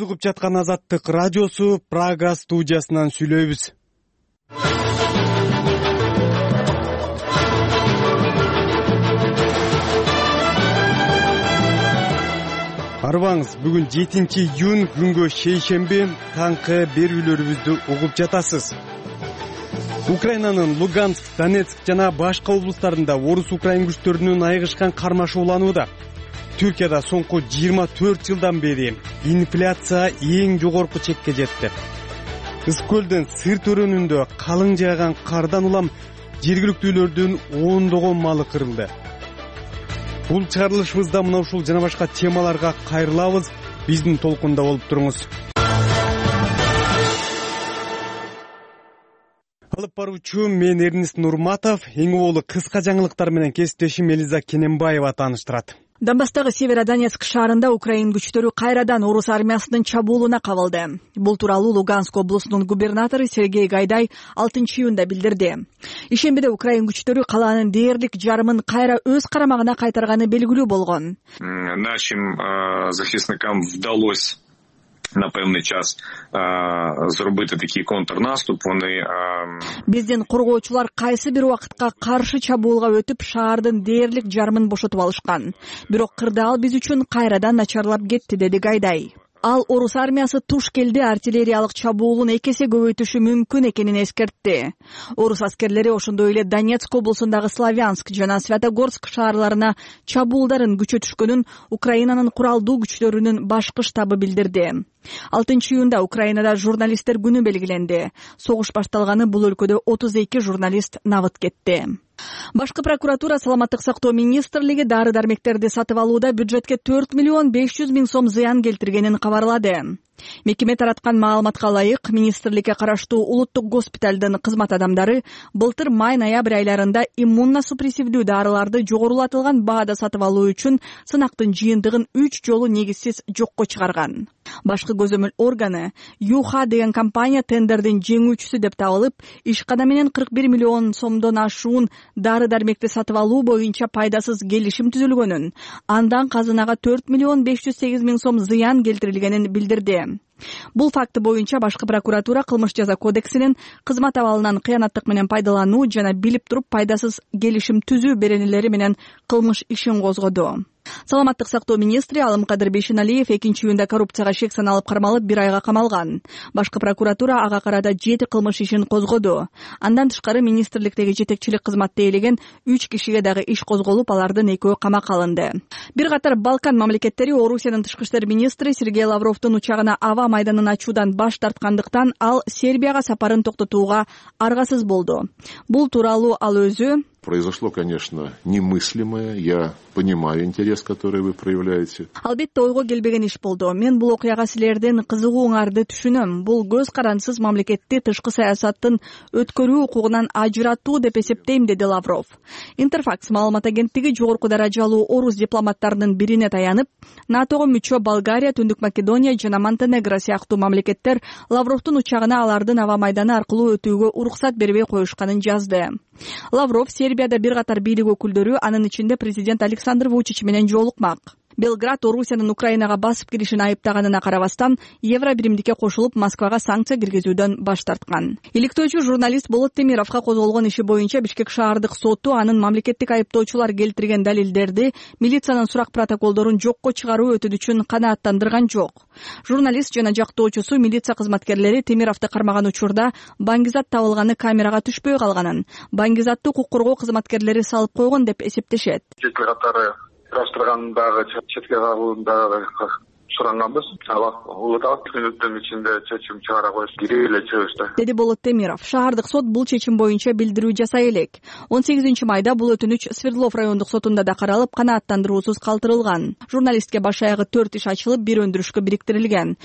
Сиз угуп жаткан Азаттык радиосу Прага студиясынан сүйлөйбүз. Арбаңыз, бүгүн 7-июнь күнгө шейшемби таңкы берүүлөрүбүздү угуп жатасыз. Украинанын Луганск, Донецк жана башка облустарында орус украин күчтөрүнүн айыгышкан кармашы уланууда. Түркияда соңку 24 жылдан бери инфляция эң жогорку чекке жетти. Ысык-көлдүн Сырт өрөөнүндө калың жааган кардан улам жергиликтүүлөрдүн ондогон малы кырылды. Бул чыгарылышыбызда мына ушул жана башка темаларга кайрылабыз. Биздин толкунда болуп туруңуз. Алып баруучу мен Эрнист Нурматов, эң оболу кыска жаңылыктар менен кесиптешим Элиза Кененбаева тааныштырат. Донбасстагы Северодонецк шаарында Украин күчтөрү кайрадан орус армиясынын чабуулуна кабылды. Бул тууралуу Луганск облусунун губернатору Сергей Гайдай 6-июнда билдирди. Ишембиде Украин күчтөрү калаанын дээрлик жарымын кайра өз карамагына кайтарганы белгилүү болгон. Нашим захисникам вдалось на певний час зробити такий контрнаступ. Вони биздин коргоочулар кайсы бир убакытка каршы чабуулга өтүп шаардын дээрлик жарымын бошотуп алышкан. Бирок кырдаал биз үчүн кайрадан начарлап кетти, деди Гайдай. Ал орус армиясы туш келди артиллериялык чабуулун 2 эсе көбөйтүшү мүмкүн экенин эскертти. Орус аскерлери ошондой эле Донецк облусундагы Славянск жана Святогорск шаарларына чабуулдарын күчөтүшкөнүн Украинанын куралдуу күчтөрүнүн башкы штабы билдирди. 6-июнда Украинада журналисттер күнү белгиленди. Согуш башталганы бул өлкөдө 32 журналист набыт кетти. Башкы прокуратура Саламаттык сактоо министрлиги дары-дармектерди сатып алууда бюджетке 4 миллион 500 миң сом зыян келтиргенин кабарлады. Мекеме тараткан маалыматка ылайык, министрликке караштуу улуттук госпиталдын кызмат адамдары былтыр май-ноябрь айларында иммуносупрессивдүү дарыларды жогорулатылган баада сатып алуу үчүн сынактын жыйынтыгын 3 жолу негизсиз жокко чыгарган. Башкы көзөмөл органы Юха деген компания тендердин жеңүүчүсү деп табылып, ишкана менен 41 миллион сомдон ашуун дары-дармекти сатып алуу боюнча пайдасыз келишим түзүлгөнүн, андан казынага 4 миллион 508 миң сом зыян келтирилгенин билдирди. Бул факты боюнча башкы прокуратура кылмыш жаза кодексинин кызмат абалынан кыянаттык менен пайдалануу жана билип туруп пайдасыз келишим түзүү беренелери менен кылмыш ишин козгоду. Саламаттык сактоо министри Алымкадыр Бейшеналиев 2-июнда коррупцияга шек саналып кармалып 1 айга камалган. Башкы прокуратура ага карата 7 кылмыш ишин козгоду. Андан тышкары министрликтеги жетекчилик кызматты ээлеген 3 кишиге дагы иш козголуп, алардын 2-өө камакка алынды. Бир катар Балкан мамлекеттери Орусиянын тышкы иштер министри Сергей Лавровдун учагына аба майданын ачуудан баш тарткандыктан ал Сербияга сапарын токтотууга аргасыз болду. Бул тууралуу ал өзү: Произошло, конечно, немыслимое. Я понимаю интерес, который вы проявляете. Албетте ойго келбеген иш болду. Мен бул окуяга силердин кызыгууңарды түшүнөм. Бул көз карансыз мамлекетти тышкы саясаттын өткөрүү укугунан ажыратуу деп эсептейм, деди Лавров. Интерфакс маалымат агенттиги жогорку даражалуу орус дипломаттарынын бирине таянып, НАТОго мүчө Болгария, Түндүк Македония жана Монтенегро сыяктуу мамлекеттер Лавровдун учагына алардын аба майданы аркылуу өтүүгө уруксат бербей коюшканын жазды. Лавров Сербияда бир катар бийлик өкүлдөрү, анын ичинде президент Александр Вучич менен жолукмак. Белград Орусиянын Украинага басып киришин айыптаганына карабастан, Евро биримдикке кошулуп Москвага санкция киргизүүдөн баш тарткан. Иликтөөчү журналист Болот Темировго козголгон иши боюнча Бишкек шаардык соту анын мамлекеттик айыптоочулар келтирген далилдерди, милициянын сурак протоколдорун жокко чыгаруу өтүнүчүн канааттандырган жок. Журналист жана жактоочусу милиция кызматкерлери Темировду кармаган учурда баңгизат табылганы камерага түшпөй калганын, баңгизатты укук коргоо кызматкерлери салып койгон деп эсептешет. Кыраштыргандагы четке кагуундагы суранганбыз. Улутак күнүттүн ичинде чечим чыгара коюш кирип эле чыгышты, деди Болот Темиров. Шаардык сот бул чечим боюнча билдирүү жасай элек. 18 майда бул өтүнүч Свердлов райондук сотунда да каралып, канааттандыруусуз калтырылган. Журналистке баш аягы 4 иш ачылып, бир өндүрүшкө бириктирилген.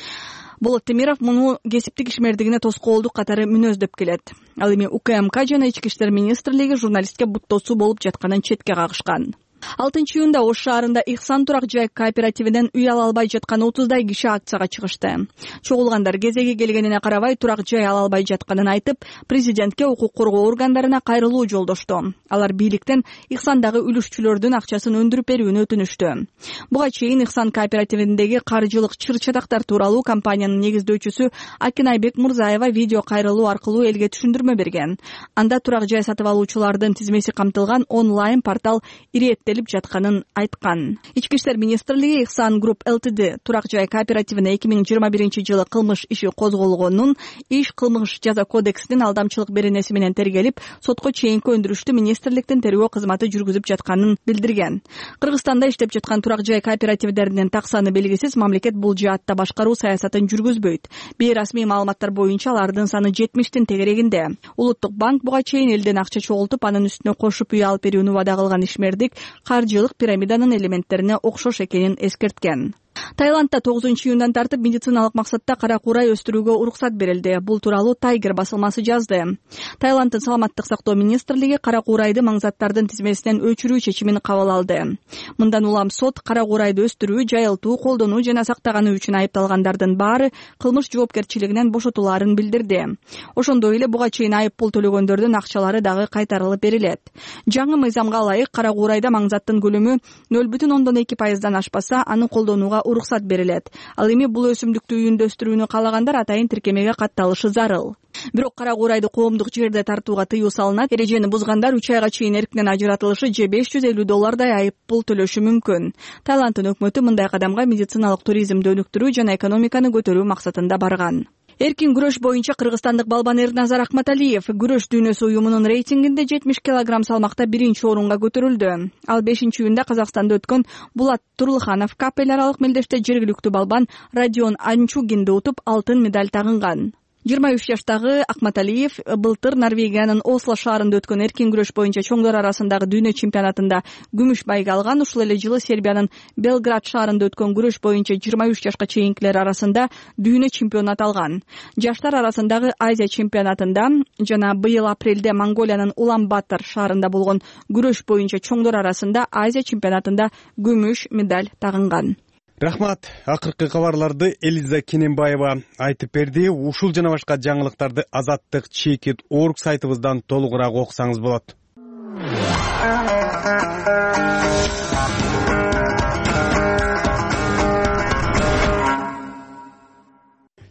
Болот Темиров муну кесиптик ишмердигине тоскоолдук катары мүнөздөп келет. Ал эми УКМК жана Ички иштер министрлиги журналистке буттоосу болуп жатканын четке кагышкан. 6-июнда Ош шаарында Ихсан турак жай кооперативинен үй ала албай жаткан 30дай киши акцияга чыгышты. Чогулгандар кезеги келгенине карабай турак жай ала албай жатканын айтып, президентке укук коргоо органдарына кайрылуу жолдошту. Алар бийликтен Ихсандагы үлүшчүлөрдүн акчасын өндүрүп берүүнү өтүнүштү. Буга чейин Ихсан кооперативиндеги каржылык чыр-чатактар тууралуу компаниянын негиздөөчүсү Акинайбек Мурзаева видео кайрылуу аркылуу элге түшүндүрмө берген. Анда турак жай сатып алуучулардын тизмеси камтылган онлайн портал ирээттелип жатканын айткан. Ички иштер министрлиги Ихсан Group Ltd турак жай кооперативине 2021-жылы кылмыш иши козголгонун, иш кылмыш жаза кодексинин алдамчылык беренеси менен тергелип, сотко чейинки өндүрүштү министрликтин тергөө кызматы жүргүзүп жатканын билдирген. Кыргызстанда иштеп жаткан турак жай кооперативдеринин так саны белгисиз, мамлекет бул жаатта башкаруу саясатын жүргүзбөйт. Бейрасмий маалыматтар боюнча алардын саны 70тин тегерегинде. Улуттук банк буга чейин элден акча чогултуп, анын үстүнө кошуп үй алып берүүнү вада кылган ишмердик каржылык пирамиданын элементтерине окшош экенин эскерткен. Таиландда 9-июндан тартып медициналык максатта кара куурай өстүрүүгө уруксат берилди. Бул тууралуу Тайгер басылмасы жазды. Таиланддын саламаттык сактоо министрлиги кара куурайды маңзаттардын тизмесинен өчүрүү чечимин кабыл алды. Мындан улам сот кара куурайды өстүрүү, жайылтуу, колдонуу жана сактаганы үчүн айыпталгандардын баары кылмыш жоопкерчилигинен бошотулаарын билдирди. Ошондой эле буга чейин айып пул төлөгөндөрдүн акчалары дагы кайтарылып берилет. Жаңы мыйзамга ылайык кара куурайда маңзаттын көлөмү 0,2%дан ашпаса, аны колдонууга уруксат берилет. Ал эми бул өсүмдүктү үйүндө өстүрүүнү каалагандар атайын тиркемеге катталышы зарыл. Бирок кара куурайды коомдук жерде тартууга тыюу салынат. Эрежени бузгандар 3 айга чейин эркинен ажыратылышы же $550 айып пул төлөшү мүмкүн. Таиланддын өкмөтү мындай кадамга медициналык туризмди өнүктүрүү жана экономиканы көтөрүү максатында барган. Эркин күрөш боюнча кыргызстандык балбан Эрназар Акматалиев күрөш дүйнөсү уюмунун рейтингинде 70 кг салмакта 1-орунга көтөрүлдү. Ал 5-июнда Казакстанда өткөн Булат Турлыханов кап эл аралык мелдеште жергиликтүү балбан Родион Анчугинди утуп алтын медаль тагынган. 23 жаштагы Акматалиев былтыр Норвегиянын Осло шаарында өткөн эркин күрөш боюнча чоңдор арасындагы дүйнө чемпионатында күмүш байга алган. Ушул эле жылы Сербиянын Белград шаарында өткөн күрөш боюнча 23 жашка чейинкилер арасында дүйнө чемпионат алган. Жаштар арасындагы Азия чемпионатында жана быйыл апрелде Монголиянын Улан-Батор шаарында болгон күрөш боюнча чоңдор арасында Азия чемпионатында күмүш медаль тагынган. Рахмат. Акыркы кабарларды Элиза Кененбаева айтып берди. Ушул жана башка жаңылыктарды Азаттык Checkit.org сайтыбыздан толугураак окусаңыз болот.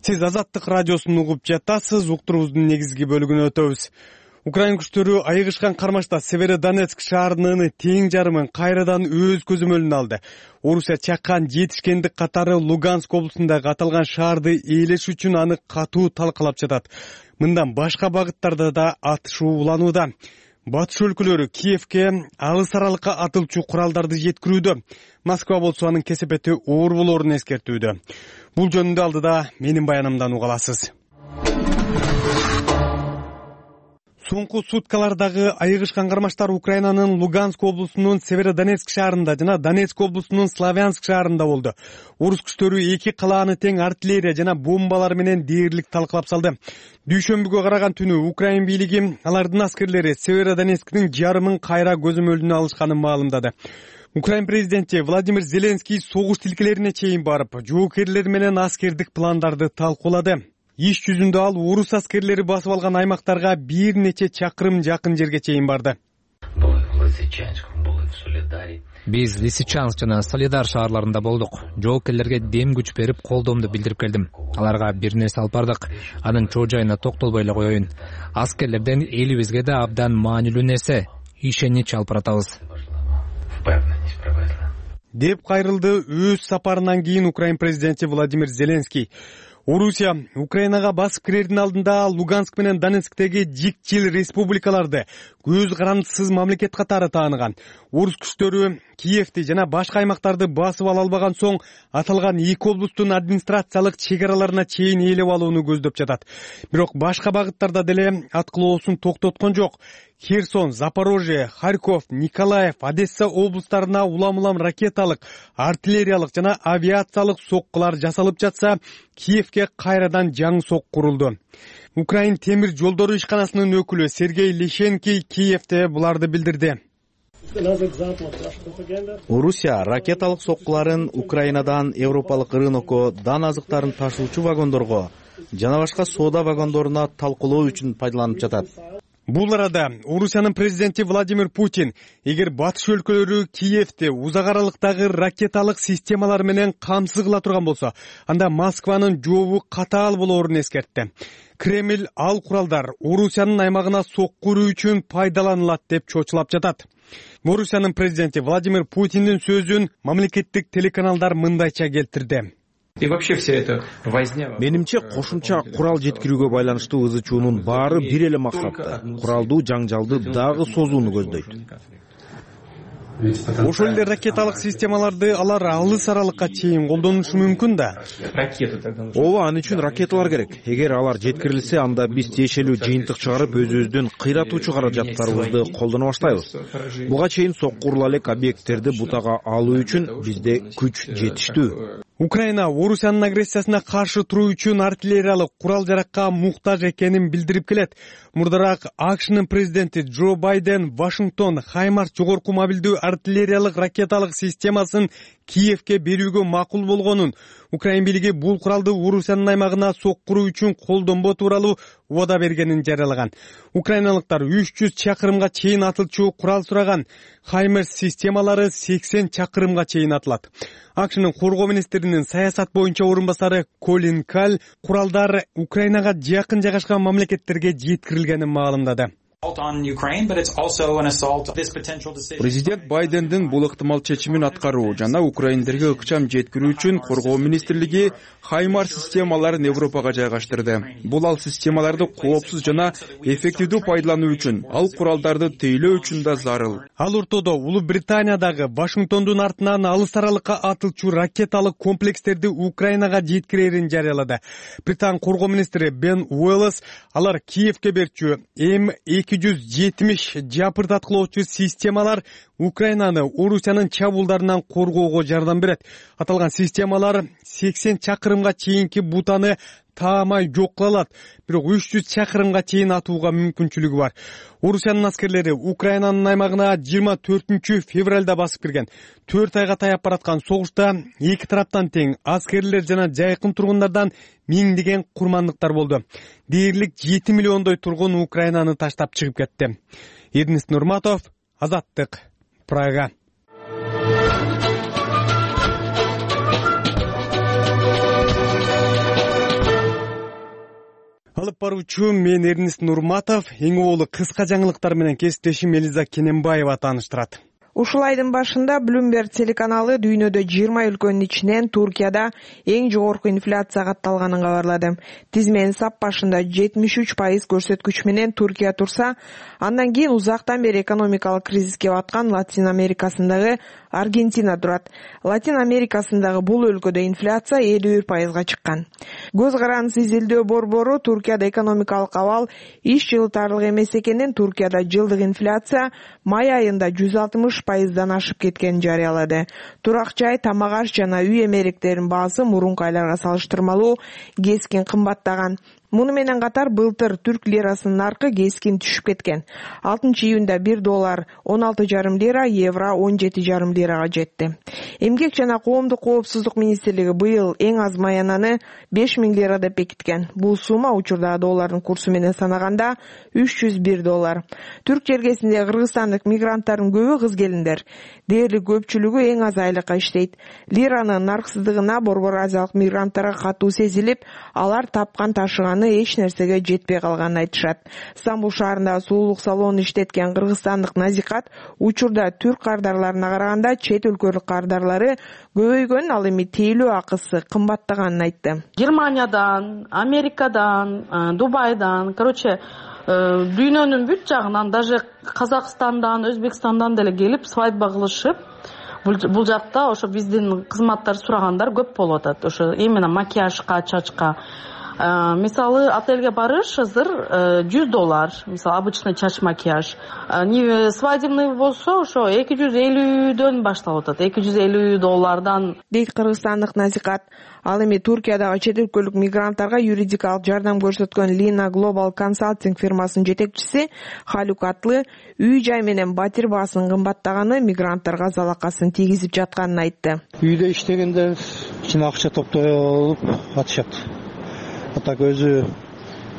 Сиз Азаттык радиосун угуп жатасыз. Уктуруубуздун негизги бөлүгүнө өтөбүз. Украин күчтөрү айыгышкан кармашта Северодонецк шаарынын тең жарымын кайрадан өз көзөмөлүнө алды. Орусия чаккан жетишкендик катары Луганск облусундагы аталган шаарды ээлеш үчүн аны катуу талкалап жатат. Мындан башка багыттарда да атышуу уланууда. Батыш өлкөлөрү Киевке алыс аралыкка атылчу куралдарды жеткирүүдө. Москва болсо анын кесепети оор болоорун эскертүүдө. Бул жөнүндө алдыда менин баянымдан уга аласыз. Соңку суткалардагы айыгышкан кармаштар Украинанын Луганск облусунун Северодонецк шаарында жана Донецк облусунун Славянск шаарында болду. Орус күчтөрү эки калааны тең артиллерия жана бомбалар менен дээрлик талкалап салды. Дүйшөмбүгө караган түнү Украин бийлиги алардын аскерлери Северодонецктин жарымын кайра көзөмөлүнө алышканын маалымдады. Украин президенти Владимир Зеленский согуш тилкелерине чейин барып, жоокерлер менен аскердик пландарды талкуулады. Иш жүзүндө ал орус аскерлери басып алган аймактарга бир нече чакырым жакын жерге чейин барды. Биз Лисичанск жана Солидар шаарларында болдук. Жоокерлерге дем күч берип, колдоомду билдирип келдим. Аларга бир нерсе алып бардык. Анын чоо жайына токтолбой эле коеюн. Аскерлерден элибизге да абдан маанилүү нерсе ишенич алып баратабыз. Деп кайрылды өз сапарынан кийин Украин президенти Владимир Зеленский. Орусия Украинага басып кирердин алдында Луганск менен Донецктеги жикчил республикаларды көз карандысыз мамлекет катары тааныган. Орус күчтөрү Киевти жана башка аймактарды басып ала албаган соң аталган эки облустун администрациялык чек араларына чейин ээлеп алууну көздөп жатат. Бирок башка багыттарда деле аткылоосун токтоткон жок. Херсон, Запорожье, Харьков, Николаев, Одесса облустарына улам-улам ракеталык, артиллериялык жана авиациялык соккулар жасалып жатса, Киевке кайрадан жаңы сок курулду. Украин темир жолдору ишканасынын өкүлү Сергей Лещенко Киевте буларды билдирди. Орусия ракеталык соккуларын Украинадан европалык рынокко дан азыктарын ташуучу вагондорго жана башка соода вагондоруна талкуулоо үчүн пайдаланып жатат. Бул арада Орусиянын президенти Владимир Путин эгер батыш өлкөлөрү Киевди узак аралыктагы ракеталык системалар менен камсыз кыла турган болсо, анда Москванын жообу катаал болоорун эскертти. Кремль ал куралдар Орусиянын аймагына сокку уруу үчүн пайдаланылат деп чочулап жатат. Орусиянын президенти Владимир Путиндин сөзүн мамлекеттик телеканалдар мындайча келтирди. Менимче кошумча курал жеткирүүгө байланыштуу ызы чуунун баары бир эле максатты — куралдуу жаңжалды дагы созууну көздөйт. Ошол эле ракеталык системаларды алар алыс аралыкка чейин колдонушу мүмкүн да. Ооба, аны үчүн ракеталар керек. Эгер алар жеткирилсе, анда биз тиешелүү жыйынтык чыгарып, өзүбүздүн кыйратуучу каражаттарыбызды колдоно баштайбыз. Буга чейин сокку урула элек объекттерди бутага алуу үчүн бизде күч жетиштүү. Украина Орусиянын агрессиясына каршы туруу үчүн артиллериялык курал-жаракка муктаж экенин билдирип келет. Мурдараак АКШнын президенти Джо Байден Вашингтон Хаймарс жогорку мобилдүү артиллериялык ракеталык системасын Киевге берүүгө макул болгонун, Украин бийлиги бул куралды Орусиянын аймагына соккуруу үчүн колдонбоо тууралуу убада бергенин жарыялаган. Украиналыктар 300 чакырымга чейин атылчу курал сураган. Хаймерс системалары 80 чакырымга чейин атылат. АКШнын коргоо министринин саясат боюнча орун басары Колин Калл куралдар Украинага жакын жайгашкан мамлекеттерге жеткирилгенин маалымдады. Президент Байдендин бул ыктымал чечимин аткаруу жана украиндерге ыкчам жеткирүү үчүн коргоо министрлиги Хаймарс системаларын Европага жайгаштырды. Бул ал системаларды коопсуз жана эффективдүү пайдалануу үчүн, ал куралдарды тейлөө үчүн да зарыл. Ал ортодо Улуу Британиядагы Вашингтондун артынан алыс аралыкка атылчу ракеталык комплекстерди Украинага жеткирерин жарыялады. Британ коргоо министри Бен Уэллс алар Киевге берчү М270 жапырдаткылоочу системалар Украинаны Орусиянын чабуулдарынан коргоого жардам берет. Аталган системалар 80 чакырымга чейинки бутаны таамай жок кыла алат, бирок 300 чакырымга чейин атууга мүмкүнчүлүгү бар. Орусиянын аскерлери Украинанын аймагына 24 февралда басып кирген. 4 айга таяп бараткан согушта эки тараптан тең аскерлер жана жайкын тургундардан миңдеген курмандыктар болду. Дээрлик 7 миллиондой тургун Украинаны таштап чыгып кетти. Эрнест Нурматов, Азаттык, Прага. Алып баруучу мен Эрнест Нурматов, эң оолу кыска жаңылыктар менен кесиптешим Элиза Кененбаева тааныштырат. Ушул айдын башында Bloomberg телеканалы дүйнөдө 20 өлкөнүн ичинен Туркияда эң жогорку инфляция катталганын кабарлады. Тизменин сап башында 73% көрсөткүч менен Туркия турса, андан кийин узактан бери экономикалык кризиске баткан Латин Америкасындагы Аргентина турат. Латин Америкасындагы бул өлкөдө инфляция 51%га чыккан. Көз карандысы изилдөө борбору Туркияда экономикалык абал иш жылытарлык эмес экенин, Туркияда жылдык инфляция май айында 160%дан ашып кеткенин жарыялады. Турак жай, тамак аш жана үй эмеректеринин баасы мурунку айларга салыштырмалуу кескин кымбаттаган. Муну менен катар былтыр түрк лирасынын наркы кескин түшүп кеткен. 6-июнда $1 16,5 лира, евро 17,5 лирага жетти. Эмгек жана коомдук коопсуздук министрлиги быйыл эң аз маянаны 5.000 лира деп бекиткен. Бул сумма учурда доллардын курсу менен санаганда $301. Түрк жергесиндеги кыргызстандык мигранттардын көбү кыз келиндер. Дээрлик көпчүлүгү эң аз айлыкка иштейт. Лиранын нарксыздыгына борбор азиялык мигранттарга катуу сезилип, алар тапкан ташыганы эч нерсеге жетпей калганын айтышат. Стамбул шаарында суулук салонун иштеткен кыргызстандык Назикат учурда түрк кардарларына караганда чет өлкөлүк кардарлары көбөйгөнүн, ал эми тейлөө акысы кымбаттаганын айтты. Германиядан, Америкадан, Дубайдан, дүйнөнүн бүт жагынан, даже Казакстандан, Өзбекстандан деле келип свадьба кылышып, бул жакта ошо биздин кызматтар сурагандар көп болуп атат. Ошо именно макияжка, чачка. Мисалы отельге барыш азыр $100, мисалы обычный чач макияж. Свадебный болсо ошо $250 башталып атат, $250 дейт кыргызстандык Назикат. Ал эми Туркиядагы чет өлкөлүк мигранттарга юридикалык жардам көрсөткөн Lina Global Consulting фирмасынын жетекчиси Халук Атлы үй-жай менен батир баасынын кымбаттаганы мигранттарга залакасын тийгизип жатканын айтты. Үйдө иштегендер ичине акча топтоп атышат. Так өзү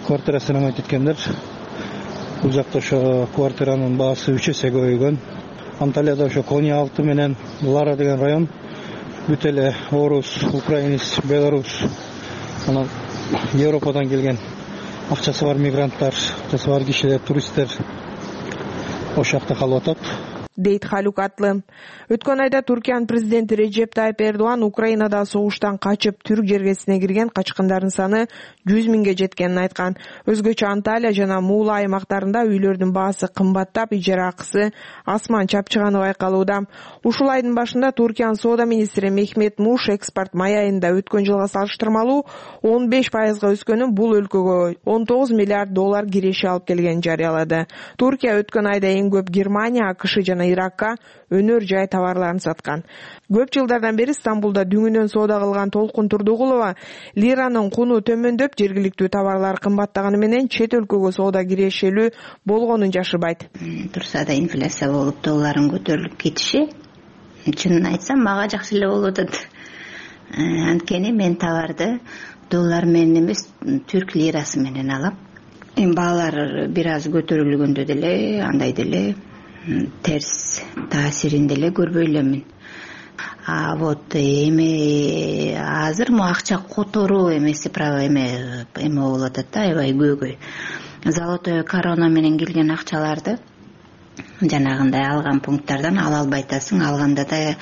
квартирасына өтүткөндөр бул жакта ошо квартиранын баасы 3 эсе көбөйгөн. Анталияда ошо Коня алты менен Лара деген район бүт эле орус, украинец, белорус, анан Европадан келген акчасы бар мигранттар, акчасы бар кишилер, туристтер ошол жакта калып атат, дейт Халук Атлы. Өткөн айда Туркиянын президенти Режеп Тайип Эрдоган Украинада согуштан качып Түрк жергесине кирген качкындардын саны 100 миңге жеткенин айткан. Өзгөчө Анталия жана Муула аймактарында үйлөрдүн баасы кымбаттап, ижара акысы асман чапчыганы байкалууда. Ушул айдын башында Туркиянын соода министри Мехмет Муш экспорт май айында өткөн жылга салыштырмалуу 15%га өскөнүн, бул өлкөгө $19 миллиард киреше алып келгенин жарыялады. Туркия өткөн айда эң көп Германия, АКШ жана Иракка өнөр жай товарларын саткан. Көп жылдардан бери Стамбулда дүңүнөн соода кылган Толкун Турдугулова лиранын куну төмөндөп, жергиликтүү товарлар кымбаттаганы менен чет өлкөгө соода кирешелүү болгонун жашырбайт. Турса да инфляция болуп, долларын көтөрүлүп кетиши, чынын айтсам, мага жакшы эле болуп атат. Анткени мен товарды доллар менен эмес, түрк лирасы менен алам. Баалар бир аз көтөрүлгөндө деле, андай деле терс таасирин деле көрбөй элемин. Вот эми азыр мо акча которуу эмеси право эме болуп атат да, аябай көйгөй. Золотой корона менен келген акчаларды жанагындай алган пункттардан ала албай атасың, алганда да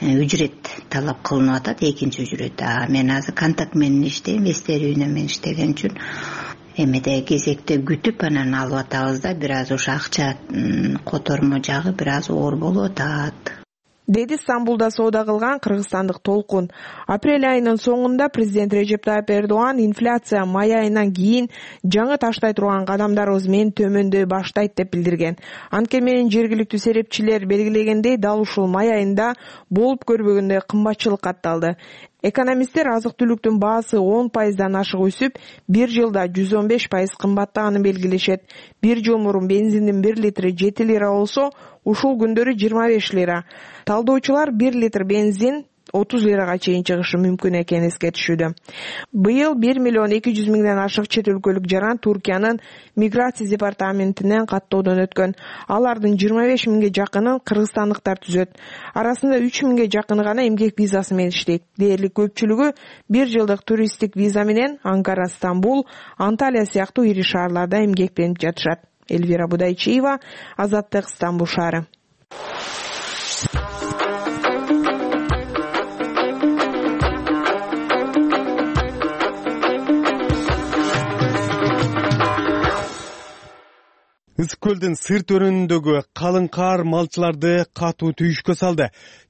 үчүрөт талап кылынып атат, экинчи үчүрөт. Мен азыр контакт менен иштейм, Вестер үйүнө мен иштеген үчүн эмеде кезекте күтүп анан алып атабыз да, бир аз ошо акча котормо жагы бир аз оор болуп атат, деди Стамбулда соода кылган кыргызстандык Толкун. Апрель айынын соңунда президент Режеп Тайип Эрдоган инфляция май айынан кийин жаңы таштай турган кадамдарыбыз менен төмөндөй баштайт деп билдирген. Анткени менен жергиликтүү серепчилер белгилегендей, дал ушул май айында болуп көрбөгөндөй кымбатчылык катталды. Экономисттер азык-түлүктүн баасы 10%дан ашык өсүп, бир жылда 115% кымбаттаганын белгилешет. Бир жыл мурун бензиндин 1 литри 7 лира болсо, ушул күндөрү 25 лира. Талдоочулар 1 литр бензин 30 лирага чейин чыгышы мүмкүн экенин эскертишүүдө. Быйыл 1 миллион 200 миңден ашык чет өлкөлүк жаран Туркиянын миграция департаментинен каттоодон өткөн. Алардын 25 миңге жакынын кыргызстандыктар түзөт. Арасында 3 миңге жакыны гана эмгек визасы менен иштейт. Дээрлик көпчүлүгү 1 жылдык туристтик виза менен Анкара, Стамбул, Анталия сыяктуу ири шаарларда эмгектенип жатышат. Эльвира Будайчиева, Азаттык, Стамбул шаары. Ысык көлдүн сырт өрөөнүндөгү калың кар малчыларды катуу түйүшкө салды.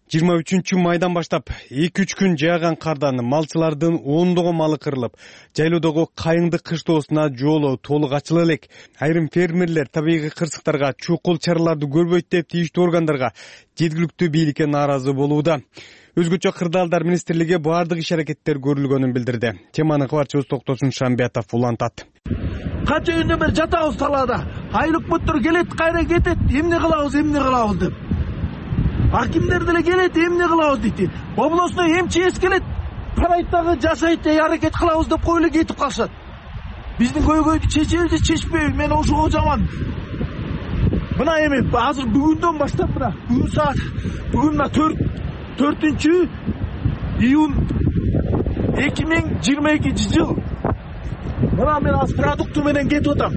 23 майдан баштап 2-3 күн жааган кардан малчылардын ондогон малы кырылып, жайлоодогу кайыңдык кыштоосуна жолу толук ачыла элек. Айрым фермерлер табигый кырсыктарга чукул чараларды көрбөйт деп тийиштүү органдарга, жергиликтүү бийликке нааразы болууда. Өзгөчө Кырдаалдар министрлиги баардык иш-аракеттер көрүлгөнүн билдирди. Теманы кабарчыбыз Токтосун Шамбиятов улантат. Канча күндөн бери жатабыз талаада. Айлык бүттүр келет, кайра кетет, эмне кылабыз деп. Акимдер деле келет, эмне кылабыз дейт. Областной МЧС келет, парайттагы жашайт деп аракет кылабыз деп коюп эле кетип калышат. Биздин көйгөйдү чечебиз, чечпейбиз, мен ошого жаман. Мына эми азыр бүгүндөн баштап бүгүн саат бүгүн 4 июнь 2022 жыл. Мына мен аз продукты менен кетип атам.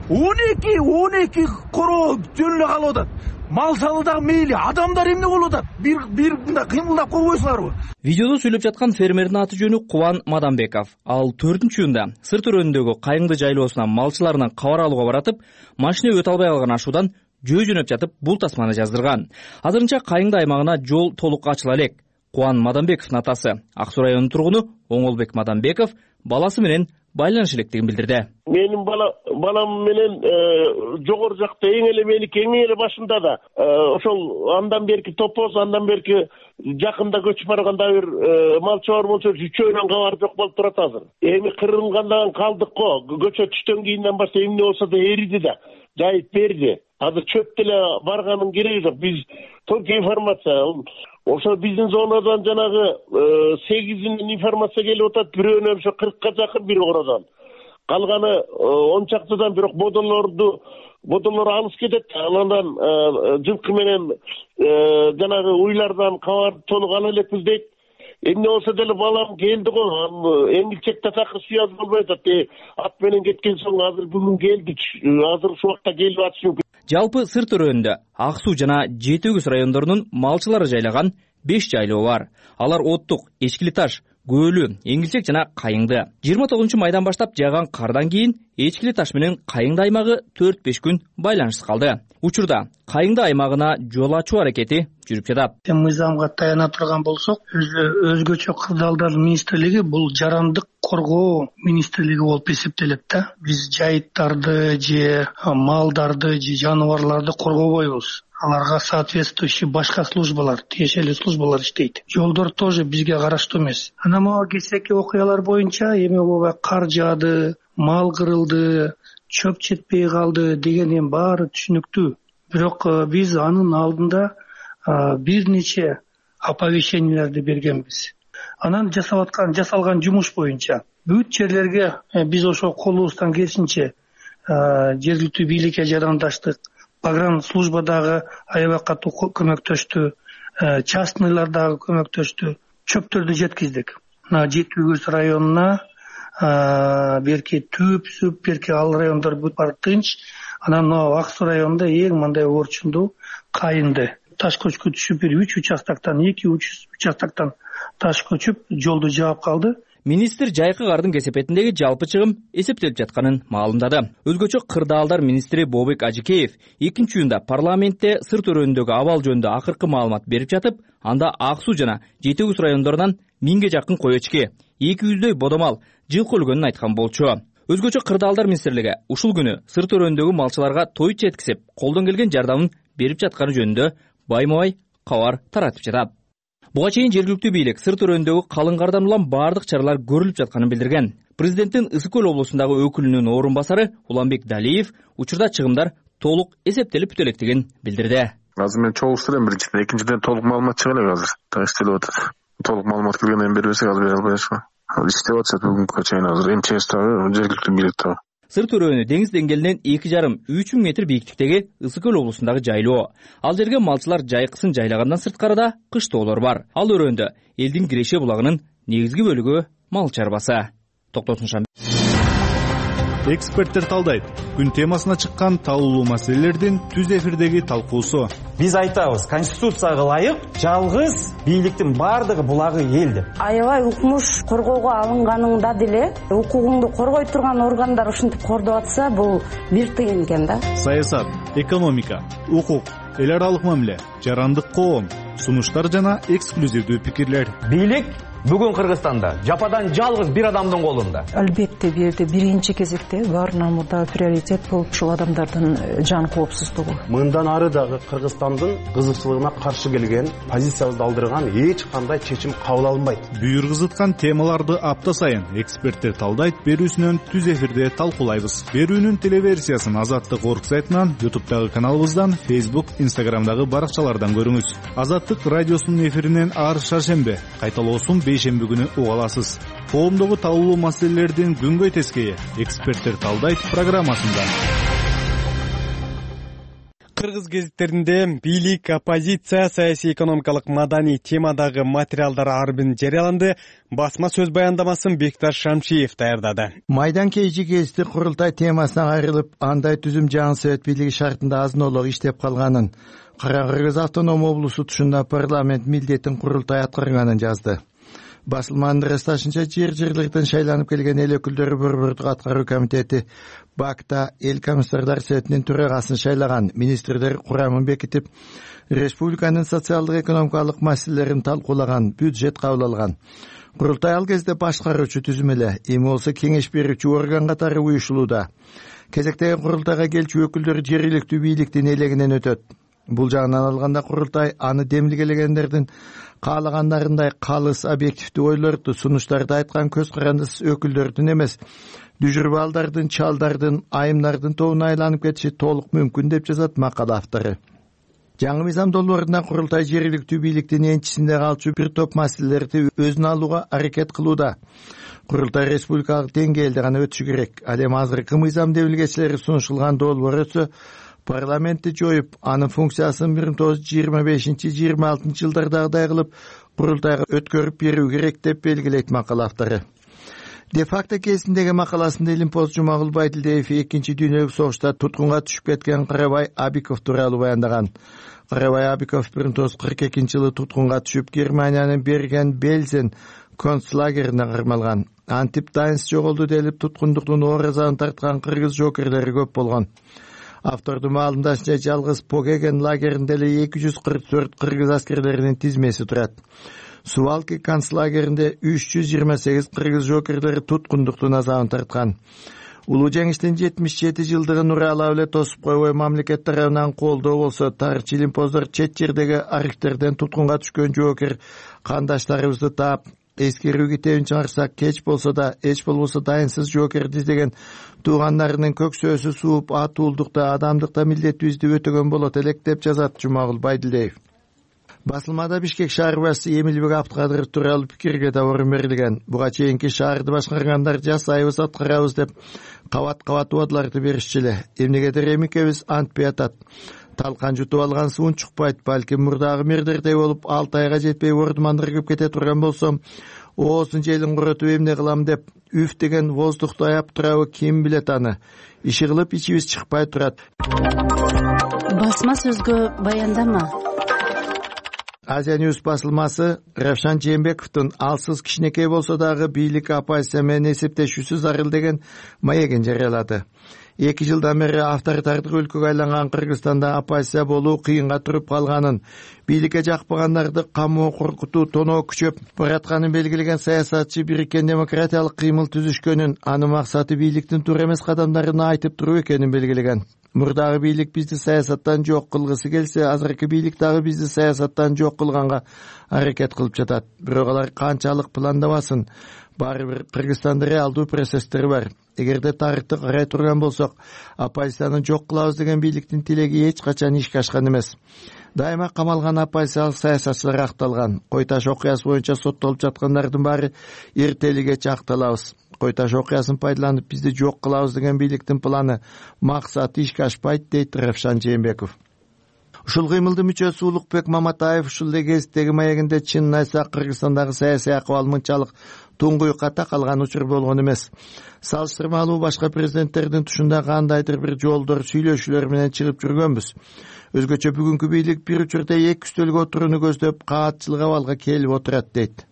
12 короо жөн эле калып атат. Мал салы дагы мейли, адамдар эмне болуп атат? Бир мындай кыймылдап койбойсуңарбы? Видеодо сүйлөп жаткан фермердин аты жөнү Кубан Мадамбеков. Ал 4-июнда сырт өрөөнүндөгү кайыңды жайлоосуна малчыларынан кабар алууга баратып, машина өтө албай калган ашуудан жөө жөнөп жатып бул тасманы жаздырган. Азырынча кайыңды аймагына жол толук ачыла элек. Кубан Мадамбековдун атасы, Ак Суу районунун тургуну Оңолбек Мадамбеков баласы менен байланыш электигин билдирди. Менин балам менен жогору жакта эң эле меники эң эле башында да ошол андан берки топоз, андан берки жакында көчүп барганда бир малчы бар болчу, үчөөнөн кабар жок болуп турат азыр. Эми кырылгандан калдык го. Көчө түштөн кийинден баштап эмне болсо да эриди да, жайып берди. Азыр чөп деле барганын кереги жок. Биз только информация. Ошо биздин зонадан жанагы 8 информация келип атат. Бирөөнөн ошо 40ка жакын бир ородан. Калганы 10 чактыдан, бирок бодолор алыс кетет. Андан жылкы менен жанагы уйлардан кабар толук ала элекпиз дейт. Эмне болсо деле балам келди го. Эңилчек татакы связь болбой атат. Ат менен кеткен соң азыр бүгүн келди. Азыр ушул убакта келип атышы мүмкүн. Жалпы Сыр төрөөнүндө Ак Суу жана Жети Өгүз райондорунун малчылары жайлаган 5 жайлоо бар. Алар Оттук, Эчкили Таш, Көөлүү, Эңилчек жана Кайыңды. 29-майдан баштап жааган кардан кийин Эчкили Таш менен Кайыңды аймагы 4-5 күн байланышсыз калды. Учурда Кайыңды аймагына жол ачуу аракети жүрүп жатат. Мыйзамга таяна турган болсок, өзгөчө кырдаалдар министрлиги бул жарандык коргоо министрлиги болуп эсептелет да. Биз жайыттарды же малдарды же жаныбарларды коргобойбуз. Аларга соответствующий башка службалар, тиешелүү службалар иштейт. Жолдор тоже бизге караштуу эмес. Анан могу кечээки окуялар боюнча эми ооба кар жаады, мал кырылды, чөп жетпей калды дегенин баары түшүнүктүү. Бирок биз анын алдында бир нече оповещенияларды бергенбиз. Анан жасалган жумуш боюнча бүт жерлерге биз ошо колубуздан келишинче жергиликтүү бийликке жарандаштык. Погран службадагы аябакка көмөктөштү, частныйлар дагы көмөктөштү. Чөптөрдү жеткиздик. Жети Өгүз районуна берки Түп, берки ал райондор бүт бар тынч. Анан Ак Суу районунда эң мындай орчундуу Кайыңды. Таш көчкү түшүп, 3 участактан, 2 участактан таш көчүп, жолду жаап калды. Министр жайкы кардын кесепетиндеги жалпы чыгым эсептелип жатканын маалымдады. Өзгөчө кырдаалдар министри Бобек Ажикеев 2-июнда парламентте Сыр төрөөнүндөгү абал жөнүндө акыркы маалымат берип жатып, анда Ак Суу жана Жети Өгүз райондорунан 1000ге жакын кой эчки, 200дөй бодомал жылкы өлгөнүн айткан болчу. Өзгөчө кырдаалдар министрлиги ушул күнү Сыр төрөөнүндөгү малчыларга той жеткизип, колдон келген жардамын берип жатканы жөнүндө байма-бай кабар таратып жатат. Буга чейин жергиликтүү бийлик Сыр төрөөнүндөгү калың кардан улам баардык чаралар көрүлүп жатканын билдирген. Президенттин Ысык көл облусундагы өкүлүнүн орун басары Уланбек Далиев учурда чыгымдар толук эсептелип бүтө электигин билдирди. Азыр мен чогулушту элем биринчиден, экинчиден толук маалымат чыга элек азыр. Так иштелип атат. Толук маалымат келгенден бербесек азыр бере албайбыз. Иштеп атышат бүгүнкү чейин азыр МЧС дагы, жергиликтүү бийлик дагы. Сыр төрөөнү деңиз деңгээлинен 2,5–3 метр бийиктиктеги Ысык көл облусундагы жайлоо. Ал жерге малчылар жайкысын жайлагандан сырткары да кыштоолор бар. Ал өрөөндө элдин Киреше булагынын негизги бөлүгү мал чарбасы. Токтотун Эксперттер талдайт. Күн темасына чыккан талуулуу маселелердин түз эфирдеги талкуусу. Биз айтабыз, конституцияга ылайык жалгыз бийликтин баардыгы булагы эл деп. Аябай укмуш коргоого алынганыңда деле укугуңду коргой турган органдар ушинтип кордоп атса, бул бир тыйын экен да. Саясат, экономика, укук, эл аралык мамиле, жарандык коом, сунуштар жана эксклюзивдүү пикирлер. Бийлик бүгүн Кыргызстанда жападан жалгыз бир адамдын колунда. Албетте бирде биринчи кезекте баарынан мурда приоритет болуп ушул адамдардын жан коопсуздугу. Мындан ары дагы Кыргызстандын кызыкчылыгына каршы келген, позициябызды алдырган эч кандай чечим кабыл алынбайт. Бүйүр кызыткан темаларды апта сайын эксперттер талдайт берүүсүнөн түз эфирде талкуулайбыз. Берүүнүн телеверсиясын Азаттык орг сайтынан, YouTube'дагы каналыбыздан, Facebook, Instagram'дагы баракчалардан көрүңүз. Азаттык радиосунун эфиринен ар шаршембе, кайталоосун бейшемби күнү уга аласыз. Коомдогу талуулуу маселелердин күнгөй тескейи эксперттер талдайт программасында. Кыргыз гезиттеринде бийлик, оппозиция, саясий экономикалык маданий темадагы материалдар ар бир жарыяланды. Басма сөз баяндамасын Бекташ Шамшиев даярдады. Майдан кечки гезити курултай темасына кайрылып, андай түзүм жаңы Совет бийлиги шартында азынолук иштеп калганын, Кара Кыргыз автоном облусу тушунда парламент милдетин курултай аткарганын жазды. Басылманын ырасташынча жер-жерлерден шайланып келген эл өкүлдөрү Борбордук аткаруу комитети БАКта эл комиссардар советинин төрагасын шайлаган. Министрлер курамын бекитип, республиканын социалдык экономикалык маселелерин талкуулаган, бюджет кабыл алган. Курултай ал кезде башкаруучу түзүм эле, эми болсо кеңеш берүүчү орган катары уюшулууда. Кезектеги курултайга келчү өкүлдөр жергиликтүү бийликтин элегинен өтөт. Бул жагынан алганда курултай аны демилгелегендердин каалагандарындай калыс объективдүү ойлорду, сунуштарды айткан көз карандысыз өкүлдөрдүн эмес, дүжүрбаалдардын, чалдардын, айымдардын тобуна айланып кетиши толук мүмкүн деп жазат макала автору. Жаңы мыйзам долбоорунда курултай жергиликтүү бийликтин энчисинде калчу бир топ маселелерди өзүнө алууга аракет кылууда. Курултай республикалык деңгээлде гана өтүшү керек. Ал эми азыркы мыйзам демилгечилери сунушулган долбоор өтсө, парламентти жоюп, анын функциясын 1925-26 жылдардагыдай кылып курултайга өткөрүп берүү керек деп белгилейт макала автору. Де-факто кезиндеги макаласында Илимпоз Жумагул Байдилдиев 2 дүйнөлүк согушта туткунга түшүп кеткен Карабай Абиков тууралуу баяндаган. Карабай Абиков 1942 жылы туткунга түшүп, Германиянын Берген Бельзен концлагерине кармалган. Антип Дайнс жоголду делип туткундуктун оор азабын тарткан кыргыз жокерлери көп болгон. Автордун маалымдашынча жалгыз Погеген лагеринде эле 244 кыргыз аскерлеринин тизмеси турат. Сувалки концлагеринде 328 кыргыз жокерлери туткундуктун азабын тарткан. Улуу жеңиштин 77 жылдыгын уралап эле тосуп койбой мамлекет тарабынан колдоо болсо, тарыхчы Илимпоздор чет жердеги архивтерден туткунга түшкөн жоокер кандаштарыбызды таап, эскерүү китебин чыгарсак, кеч болсо да, эч болбосо дайынсыз жоокерди издеген туугандарынын көксөөсү сууп, атуулдукта, адамдыкта милдетибизди өтөгөн болот элек деп жазат Жумагул Байдилдиев. Басылмада Бишкек шаар башчысы Эмилбек Абдыкадыров тууралуу пикирге да орун берилген. Буга чейинки шаарды башкаргандар жасайбыз, аткарабыз деп кабат-кабат убадаларды беришчү эле. Эмнегедир эмикебиз антпей атат. Талкан жутуп алган суун чукпайт, балким мурдагы мэрдердей болуп 6 айга жетпей ордумандырып кете турган болсом, оозун желин курутуп эмне кылам деп үф деген воздухту аяп турабы, ким билет аны. Иши кылып ичибиз чыкпай турат. Басма сөзгө баяндама. Азия Ньюс басылмасы Равшан Жээнбековдун алсыз кичинекей болсо дагы бийлик оппозиция менен эсептешүүсү зарыл деген маегин жарыялады. 2 жылдан бери авторитардык өлкөгө айланган Кыргызстанда оппозиция болуу кыйынга туруп калганын, бийликке жакпагандарды камоо коркутуу тоноо күчөп баратканын белгилеген саясатчы бириккен демократиялык кыймыл түзүшкөнүн, анын максаты бийликтин туура эмес кадамдарын айтып туруу экенин белгилеген. Мурдагы бийлик бизди саясаттан жок кылгысы келсе, азыркы бийлик дагы бизди саясаттан жок кылганга аракет кылып жатат. Бирок алар канчалык пландабасын, баары бир Кыргызстанда реалдуу процесстер бар. Эгерде тарыхты карай турган болсок, оппозицияны жок кылабыз деген бийликтин тилеги эч качан ишке ашкан эмес. Дайыма камалган оппозициялык саясатчылар акталган. Кой таш окуясы боюнча соттолуп жаткандардын баары эртелигече акталабыз. Кой таш окуясын пайдаланып бизди жок кылабыз деген бийликтин планы, максаты ишке ашпайт, дейт Равшан Жээнбеков. Ушул кыймылдын мүчөсү Улукбек Маматаев ушул эле кездеги маегинде чынын айтсак Кыргызстандагы саясий акыбал мынчалык туңгуюкка такалган учур болгон эмес. Салыштырмалуу башка президенттердин тушунда кандайдыр бир жолдор, сүйлөшүүлөр менен чыгып жүргөнбүз. Өзгөчө бүгүнкү бийлик бир учурда эки үстөлгө отурууну көздөп каатчылык абалга келип отурат, дейт.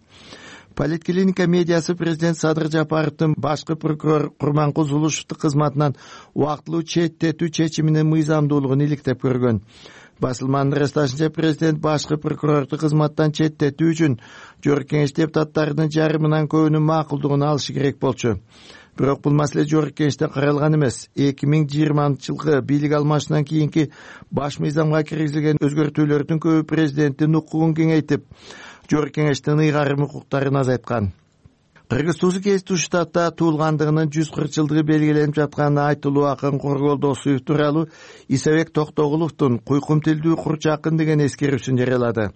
Политклиника медиасы президент Садыр Жапаровдун башкы прокурор Курманкул Зулушевдун кызматынан убактылуу четтетүү чечиминин мыйзамдуулугун иликтеп көргөн. Басылманын ырасташынча президент башкы прокурорду кызматтан четтетүү үчүн Жогорку Кеңеш депутаттарынын жарымынан көбүнүн макулдугун алышы керек болчу. Бирок бул маселе Жогорку Кеңеште каралган эмес. 2020 жылкы бийлик алмашынан кийинки баш мыйзамга киргизилген өзгөртүүлөрдүн көбү президенттин укугун кеңейтип, Жогорку Кеңештин ыйгарым укуктарын азайткан. Кыргыз Туузу Кесиптүү штатта туулгандыгынын 140 жылдыгы белгиленип жаткан айтылуу акын Коргол Досуев тууралуу Исабек Токтогуловдун Куйкум тилдүү курч акын деген эскерүүсүн жарыялады.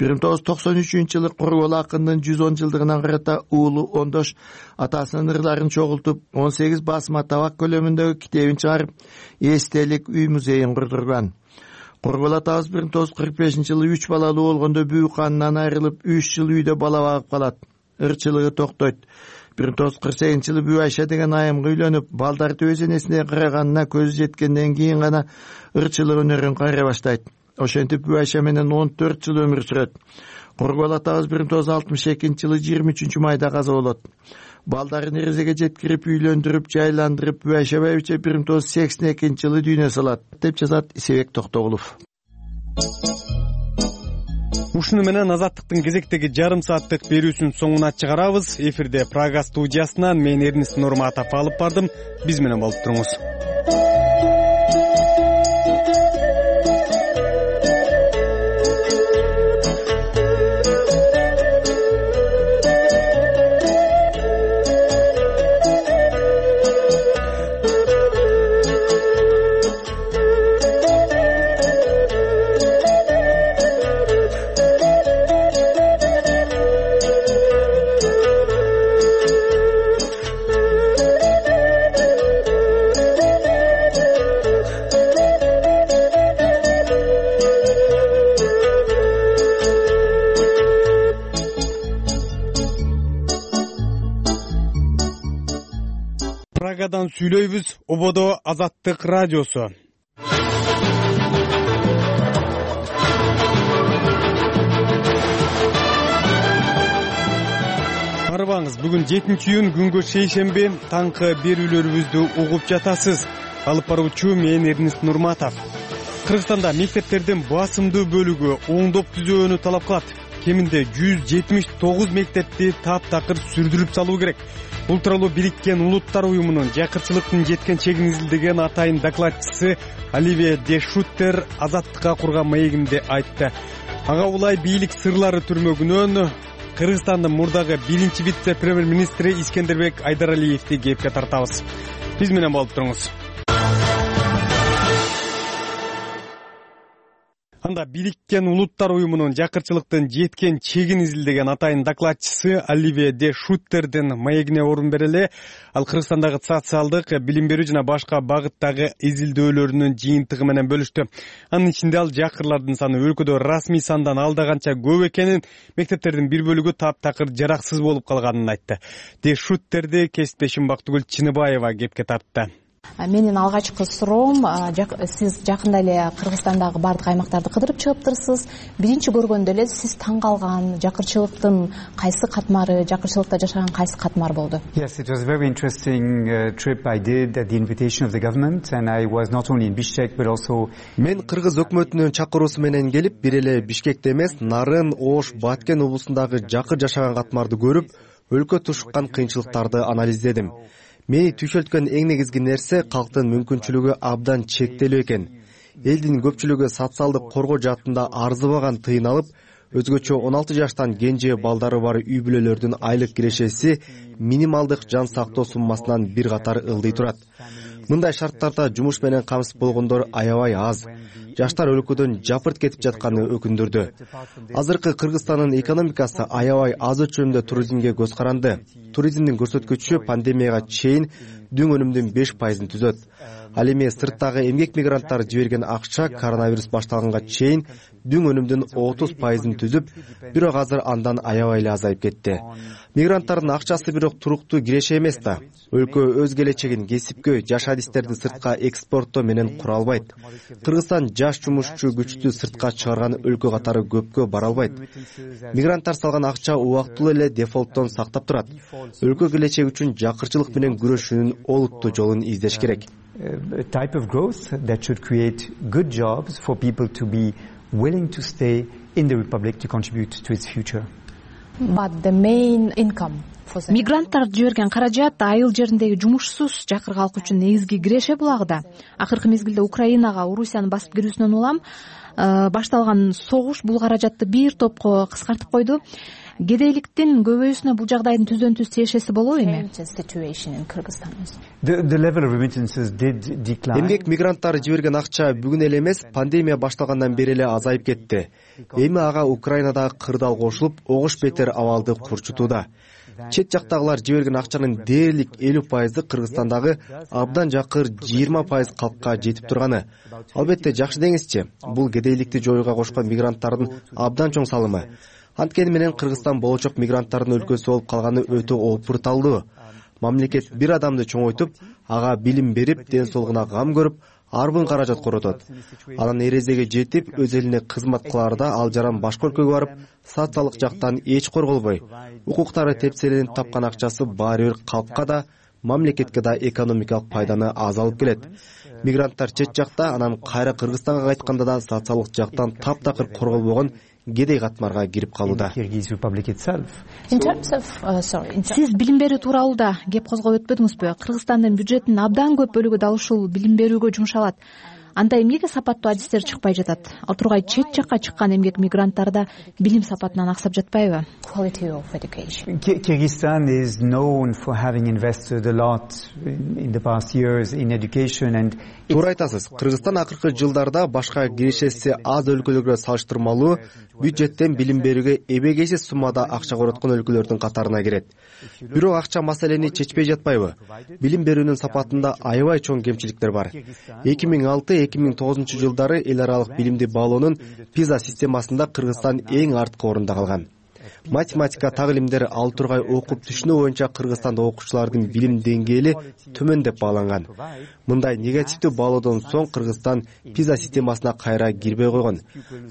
1993 жылы Коргол акындын 110 жылдыгына карата уулу Ондош атасынын ырларын чогултуп 18 басма табак көлөмүндөгү китебин чыгарып, эстелик үй музейин курдурган. Коргол атабыз 1945 жылы 3 балалуу болгондо бүү канынан айрылып 3 жыл үйдө бала багып калат. Ырчылыгы токтойт. 1948 жылы Бүү Айша деген айымга үйлөнүп, балдарды өз энесине караганына көзү жеткенден кийин гана ырчылык өнөрүн кайра баштайт. Ошентип Бүү Айша менен 14 жыл өмүр сүрөт. Коргол атабыз 1962-жылы 23 майда каза болот. Балдарын эрезеге жеткирип, үйлөндүрүп, жайландырып, Башабаевиче 1982-жылы дүйнө салат, деп жазат Исебек Токтогулов. Ушуну менен Азаттыктын кезектеги жарым сааттык берүүсүнүн соңуна чыгарабыз. Эфирде Прага студиясынан мен Эрнис Нурматов алып бардым. Биз менен болуп туруңуз. Прагадан сүйлөйбүз. Ободо Азаттык радиосу. Арбаңыз, бүгүн 7-июнь, күнгө шейшемби, таңкы берүүлөрүбүздү угуп жатасыз. Алып баруучу мен Эрнис Нурматов. Кыргызстанда мектептердин басымдуу бөлүгү оңдоп түзөөнү талап кылат. Кеминде 179 мектепти таптакыр сүрдүрүп салуу керек. Бул тууралуу Бириккен Улуттар уюмунун жакырчылыктын жеткен чегин изилдеген атайын докладчысы Оливия де Шуттер Азаттыкка курган маегинде айтты. Ага улай бийлик сырлары түрмөгүнөн Кыргызстандын мурдагы 1-чи вице-премьер-министри Искендербек Айдаралиевди кепке тартабыз. Биз менен болуп туруңуз. Анда Бириккен Улуттар уюмунун жакырчылыктын жеткен чегин изилдеген атайын докладчысы Оливия де Шуттердин маегине орун берели. Ал Кыргызстандагы социалдык, билим берүү жана башка багыттагы изилдөөлөрүнүн жыйынтыгы менен бөлүштү. Анын ичинде ал жакырлардын саны өлкөдө расмий сандан алдаганча көп экенин, мектептердин бир бөлүгү таптакыр жараксыз болуп калганын айтты. Де Шуттерди кесиптешим Бактыгүл Чыныбаева кепке тартты. Менин алгачкы суроом, сиз жакында эле Кыргызстандагы бардык аймактарды кыдырып чыгыптырсыз. Биринчи көргөндө эле сиз таң калган жакырчылыктын кайсы катмары, жакырчылыкта жашаган кайсы катмар болду? Yes, it was a very interesting trip I did at the invitation of the government, and I was not only in Bishkek but also. Мен Кыргыз өкмөтүнүн чакыруусу менен келип, бир эле Бишкекте эмес, Нарын, Ош, Баткен облусундагы жакыр жашаган катмарды көрүп, өлкө тушуккан кыйынчылыктарды анализдедим. Мени түйшөлткөн эң негизги нерсе калктын мүмкүнчүлүгү абдан чектелүү экен. Элдин көпчүлүгү социалдык коргоо жаатында арзыбаган тыйын алып, өзгөчө 16 жаштан кенже балдары бар үй бүлөлөрдүн айлык кирешеси минималдык жан сактоо суммасынан бир катар ылдый турат. Мындай шарттарда жумуш менен камсыз болгондор аябай аз. Жаштар өлкөдөн жапырт кетип жатканы өкүндүрдү. Азыркы Кыргызстандын экономикасы аябай аз өлчөмдө туризмге көз каранды. Туризмдин көрсөткүчү пандемияга чейин дүң өнүмдүн 5%-ын түзөт. Ал эми сырттагы эмгек мигранттар жиберген акча коронавирус башталганга чейин дүң өнүмдүн 30%-ын түзүп, бирок азыр андан аябай эле азайып кетти. Мигранттардын акчасы бирок туруктуу киреше эмес да. Өлкө өз келечегин кесипкөй, жаш адистерди сыртка экспорттоо менен кура албайт. Кыргызстан жаш жумушчу күчтү сыртка чыгарган өлкө катары көпкө бара албайт. Мигранттар салган акча убактылуу эле дефолттон сактап турат. Өлкө келечеги үчүн жакырчылык менен күрөшүүнүн олуттуу жолун издеш керек. A type of growth that should create good jobs for people to be willing to stay in the Republic to contribute to its future. But the main income. Мигранттар жиберген каражат айыл жериндеги жумушсуз жакыр калк үчүн негизги киреше булагыда. Акыркы мезгилде Украинага Орусиянын басып кирүүсүнөн улам башталган согуш бул каражатты бир топко кыскартып койду. Кедейликтин көбөйүүсүнө бул жагдайдын түздөн түз тиешеси болобу эми? Эмгек мигранттары жиберген акча бүгүн эле эмес, пандемия башталгандан бери эле азайып кетти. Эми ага Украинадагы кырдаал кошулуп, огуш бетер абалды курчутууда. Чет жактагылар жиберген акчанын дээрлик 50%ы Кыргызстандагы абдан жакыр 20% калкка жетип турганы. Албетте жакшы деңизчи, бул кедейликти жоюуга кошкон мигранттардын абдан чоң салымы. Анткени менен Кыргызстан болочок мигранттардын өлкөсү болуп калганы өтө опурталдуу. Мамлекет бир адамды чоңойтуп, ага билим берип, ден соолугуна кам көрүп, арбын каражат коротот. Анан эрезеге жетип, өз элине кызмат кылаарда ал жаран башка өлкөгө барып, социалдык жактан эч корголбой, укуктары тепселенип тапкан акчасы баары бир калкка да, мамлекетке да экономикалык пайданы аз алып келет. Мигранттар чет жакта, анан кайра Кыргызстанга кайтканда да социалдык жактан таптакыр корголбогон кедей катмарга кирип калууда. Сиз билим берүү тууралуу да кеп козгоп өтпөдүңүзбү? Кыргызстандын бюджетинин абдан көп бөлүгү дал ушул билим берүүгө жумшалат. Анда эмнеге сапаттуу адистер чыкпай жатат? Ал тургай чет жакка чыккан эмгек мигранттарда билим сапатынан аксап жатпайбы? Kyrgyzstan is known for having invested a lot in the past years in education and Туура айтасыз. Кыргызстан акыркы жылдарда башка кирешеси аз өлкөлөргө салыштырмалуу бюджеттен билим берүүгө эбегейсиз суммада акча короткон өлкөлөрдүн катарына кирет. Бирок акча маселени чечпей жатпайбы? Билим берүүнүн сапатында аябай чоң кемчиликтер бар. 2006-2009 жылдары эл аралык билимди баалоонун PISA системасында Кыргызстан эң арткы орунда калган. Математика, так илимдер, ал тургай окуп түшүнүү боюнча Кыргызстанда окуучулардын билим деңгээли төмөн деп бааланган. Мындай негативдүү баалоодон соң Кыргызстан PISA системасына кайра кирбей койгон.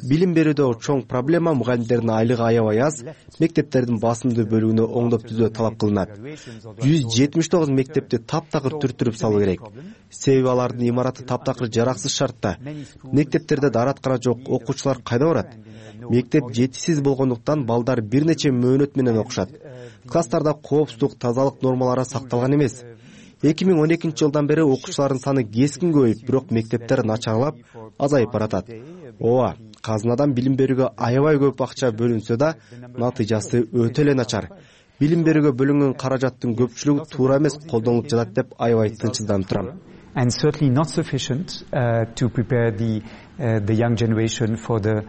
Билим берүүдө чоң проблема мугалимдердин айлыгы аябай аз, мектептердин басымдуу бөлүгүнө оңдоп түзөө талап кылынат. 179 мектепти таптакыр түртүрүп салуу керек. Себеби алардын имараты таптакыр жараксыз шартта. Мектептерде даараткана жок, окуучулар кайда барат? Мектеп жетишсиз болгондуктан балдар бир нече мөөнөт менен окушат. Класстарда коопсуздук, тазалык нормалары сакталган эмес. 2012 жылдан бери окуучулардын саны кескин көбөйүп, бирок мектептер начарлап, азайып баратат. Ооба, казынадан билим берүүгө аябай көп акча бөлүнсө да, натыйжасы өтө эле начар. Билим берүүгө бөлүнгөн каражаттын көпчүлүгү туура эмес колдонулуп жатат деп аябай тынчсызданып турам. And certainly not sufficient to prepare the young generation for the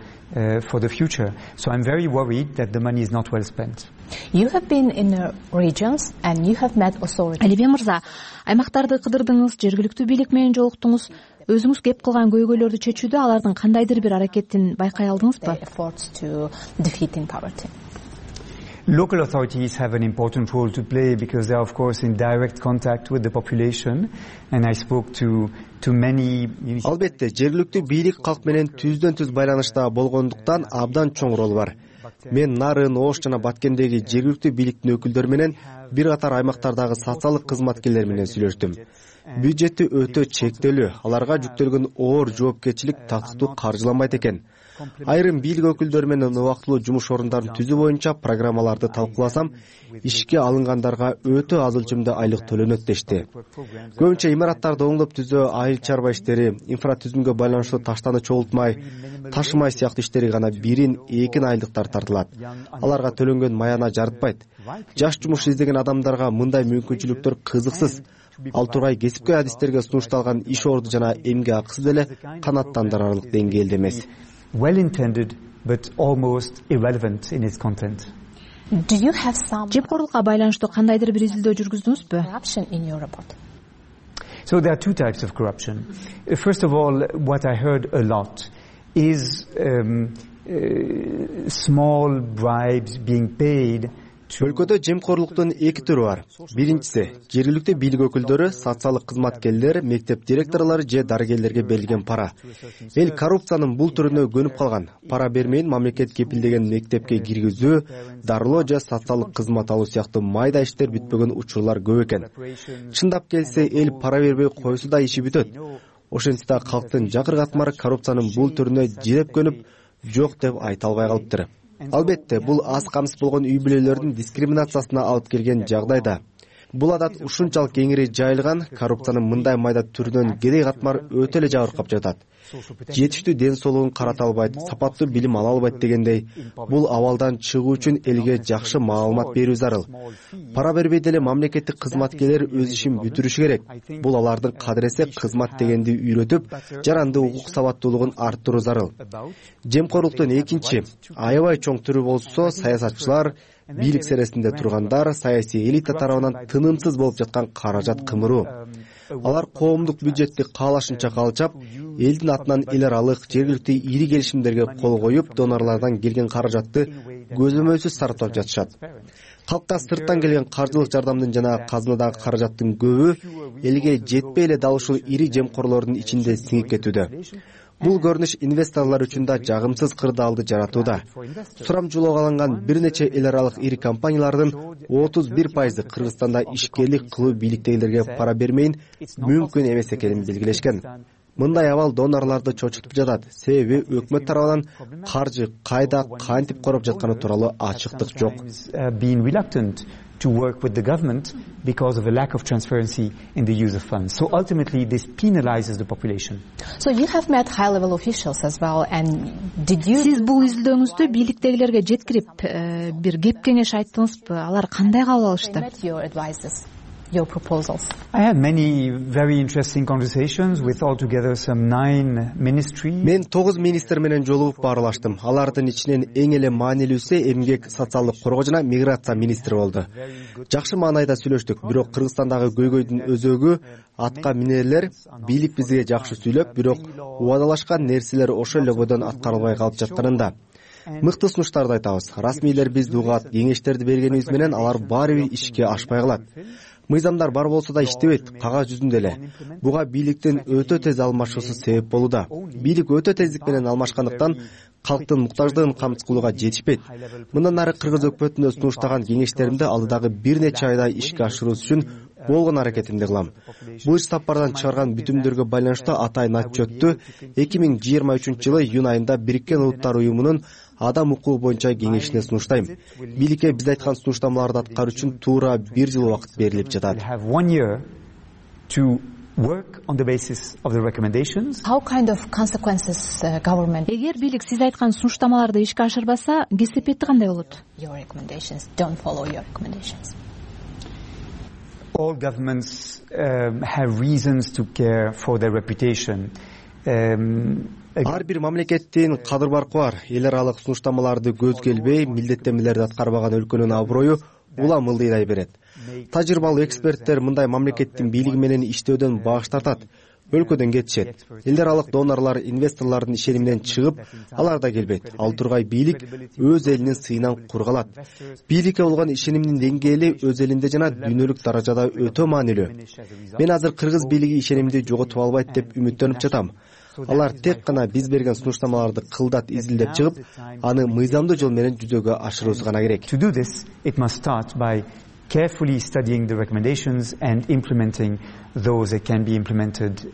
future. So I'm very worried that the money is not well spent. You have been in the regions and you have met authorities. Алибек мырза, аймактарды кыдырдыңыз, жергиликтүү бийлик менен жолуктуңуз. Өзүңүз кеп кылган көйгөйлөрдү чечүүдө алардын кандайдыр бир аракетин байкай алдыңызбы? Efforts to defeating poverty. Local authorities have an important role to play because they are, of course, in direct contact with the population. And I spoke to many. Албетте, жергиликтүү бийлик калк менен түздөн-түз байланышта болгондуктан абдан чоң рол бар. Мен Нарын, Ош жана Баткендеги жергиликтүү бийликтин өкүлдөрү менен бир катар аймактардагы социалдык кызматкерлер менен сүйлөштүм. Бюджети өтө чектелүү, аларга жүктөлгөн оор жоопкерчилик тактыктуу каржыланбайт экен. Айрым бийлик өкүлдөрү менен убактылуу жумуш орундарын түзүү боюнча программаларды талкууласам, ишке алынгандарга өтө аз өлчөмдө айлык төлөнөт дешти. Көбүнчө имараттарды оңдоп түзөө, айыл чарба иштери, инфратүзүмгө байланыштуу таштаны чогултмай, ташымай сыяктуу иштери гана 1-2 айлыктар тартылат. Аларга төлөнгөн маяна жарытпайт. Жаш жумуш издеген адамдарга мындай мүмкүнчүлүктөр кызыксыз. Ал тургай кесипкөй адистерге сунушталган иш орду жана эмгек акысы деле канааттандырарлык деңгээлде эмес. Well intended, but almost irrelevant in its content. Do you have some жепкорлукка байланыштуу кандайдыр бир изилдөө жүргүздүңүзбү? corruption in your report? So there are two types of corruption. First of all, what I heard a lot is small bribes being paid. Өлкөдө жемкорлуктун эки түрү бар. Биринчиси, жергиликтүү бийлик өкүлдөрү, социалдык кызматкерлер, мектеп директорлору же дарыгерлерге берилген пара. Эл коррупциянын бул түрүнө көнүп калган. Пара бермейин мамлекет кепилдеген мектепке киргизүү, дарылоо же социалдык кызмат алуу сыяктуу майда иштер бүтпөгөн учурлар көп экен. Чындап келсе, эл пара бербей койсо да иши бүтөт. Ошентсе да калктын жакыр катмары коррупциянын бул түрүнө жиреп көнүп, жок деп айта албай калыптыр. Албетте, бул аз камсыз болгон үй бүлөлөрдүн дискриминациясына алып келген жагдайда. Бул адат ушунчалык кеңири жайылган, коррупциянын мындай майда түрүнөн кедей катмар өтө эле жабыркап жатат. Жетиштүү ден соолугун карата албайт, сапаттуу билим ала албайт дегендей, бул абалдан чыгуу үчүн элге жакшы маалымат берүү зарыл. Пара бербей деле мамлекеттик кызматкерлер өз ишин бүтүрүшү керек. Бул алардын кадыресе кызмат дегенди үйрөтүп, жаранды укук сабаттуулугун арттыруу зарыл. Жемкорлуктун экинчи, аябай чоң түрү болсо, саясатчылар, бийлик сересинде тургандар, саясий элита тарабынан тынымсыз болуп жаткан каражат кымыруу. Алар коомдук бюджетти каалашынча калчап, элдин атынан эл аралык, жергиликтүү ири келишимдерге кол коюп, донорлордон келген каражатты көзөмөлсүз сарптап жатышат. Калкка сырттан келген каржылык жардамдын жана казынадагы каражаттын көбү элге жетпей эле дал ушул ири жемкорлордун ичинде сиңип кетүүдө. Бул көрүнүш инвесторлор үчүн да жагымсыз кырдаалды жаратууда. Сурамжылоого алынган бир нече эл аралык ири компаниялардын 31% Кыргызстанда ишкерлик кылуу бийликтегилерге пара бермейин мүмкүн эмес экенин белгилешкен. Мындай абал донорлорду чочутуп жатат, себеби өкмөт тарабынан каржы кайда кантип короп жатканы тууралуу ачыктык жок. To work with the government because of a lack of transparency in the use of funds. So ultimately this penalizes the population. So you have met high level officials as well, and did you... Сиз бул изилдөөңүздө бийликтегилерге жеткирип бир кеп кеңеш айттыңызбы? Алар кандай кабыл алышты? Your proposals. I had many very interesting conversations with altogether some 9 ministries. Мен 9 министр менен жолугуп баарлаштым. Алардын ичинен эң эле маанилүүсү эмгек, социалдык коргоо жана миграция министри болду. Жакшы маанайда сүйлөштүк, бирок Кыргызстандагы көйгөйдүн өзөгү атка минерлер бийлик бизге жакшы сүйлөп, бирок убадалашкан нерселер ошол эле бойдон аткарылбай калып жатканында. Мыкты сунуштарды айтабыз. Расмийлер бизди угат, кеңештерди бергенибиз менен алар баары бир ишке ашпай калат. Мыйзамдар бар болсо да иштебейт, кагаз жүзүндө эле. Буга бийликтин өтө тез алмашуусу себеп болууда. Бийлик өтө тездик менен алмашкандыктан калктын муктаждыгын камсыз кылууга жетишпейт. Мындан ары кыргыз өкмөтүнө сунуштаган кеңештеримди алдыдагы бир нече айда ишке ашыруусу үчүн болгон аракетимди кылам. Бул иш сапардан чыгарган бүтүмдөргө байланыштуу атайын отчетту 2023-жылы июнь айында Бириккен Улуттар уюмунун адам укугу боюнча кеңешине сунуштайм. Бийликке биз айткан сунуштамаларды аткаруу үчүн туура 1 жыл убакыт берилип жатат. Work on the basis of the recommendations. How kind of consequences government? Эгер бийлик сиз айткан сунуштамаларды ишке ашырбаса, кесепети кандай болот? Your recommendations don't follow your recommendations. All governments have reasons to care for their reputation. Ар бир мамлекеттин кадыр баркы бар. Эл аралык сунуштамаларды көзгө илбей, милдеттенмелерди аткарбаган өлкөнүн аброю улам ылдыйдай берет. Тажрыйбалуу эксперттер мындай мамлекеттин бийлиги менен иштөөдөн баш тартат, өлкөдөн кетишет. Эл аралык донорлор, инвесторлордун ишениминен чыгып, алар да келбейт. Ал тургай бийлик өз элинин сыйынан кур калат. Бийликке болгон ишенимдин деңгээли өз элинде жана дүйнөлүк даражада өтө маанилүү. Мен азыр кыргыз бийлиги ишенимди жоготуп албайт деп үмүттөнүп жатам. Алар тек гана биз берген сунуштамаларды кылдат изилдеп чыгып, аны мыйзамдуу жол менен жүзөгө ашыруусу гана керек. To do this, it must start by carefully studying the recommendations and implementing those that can be implemented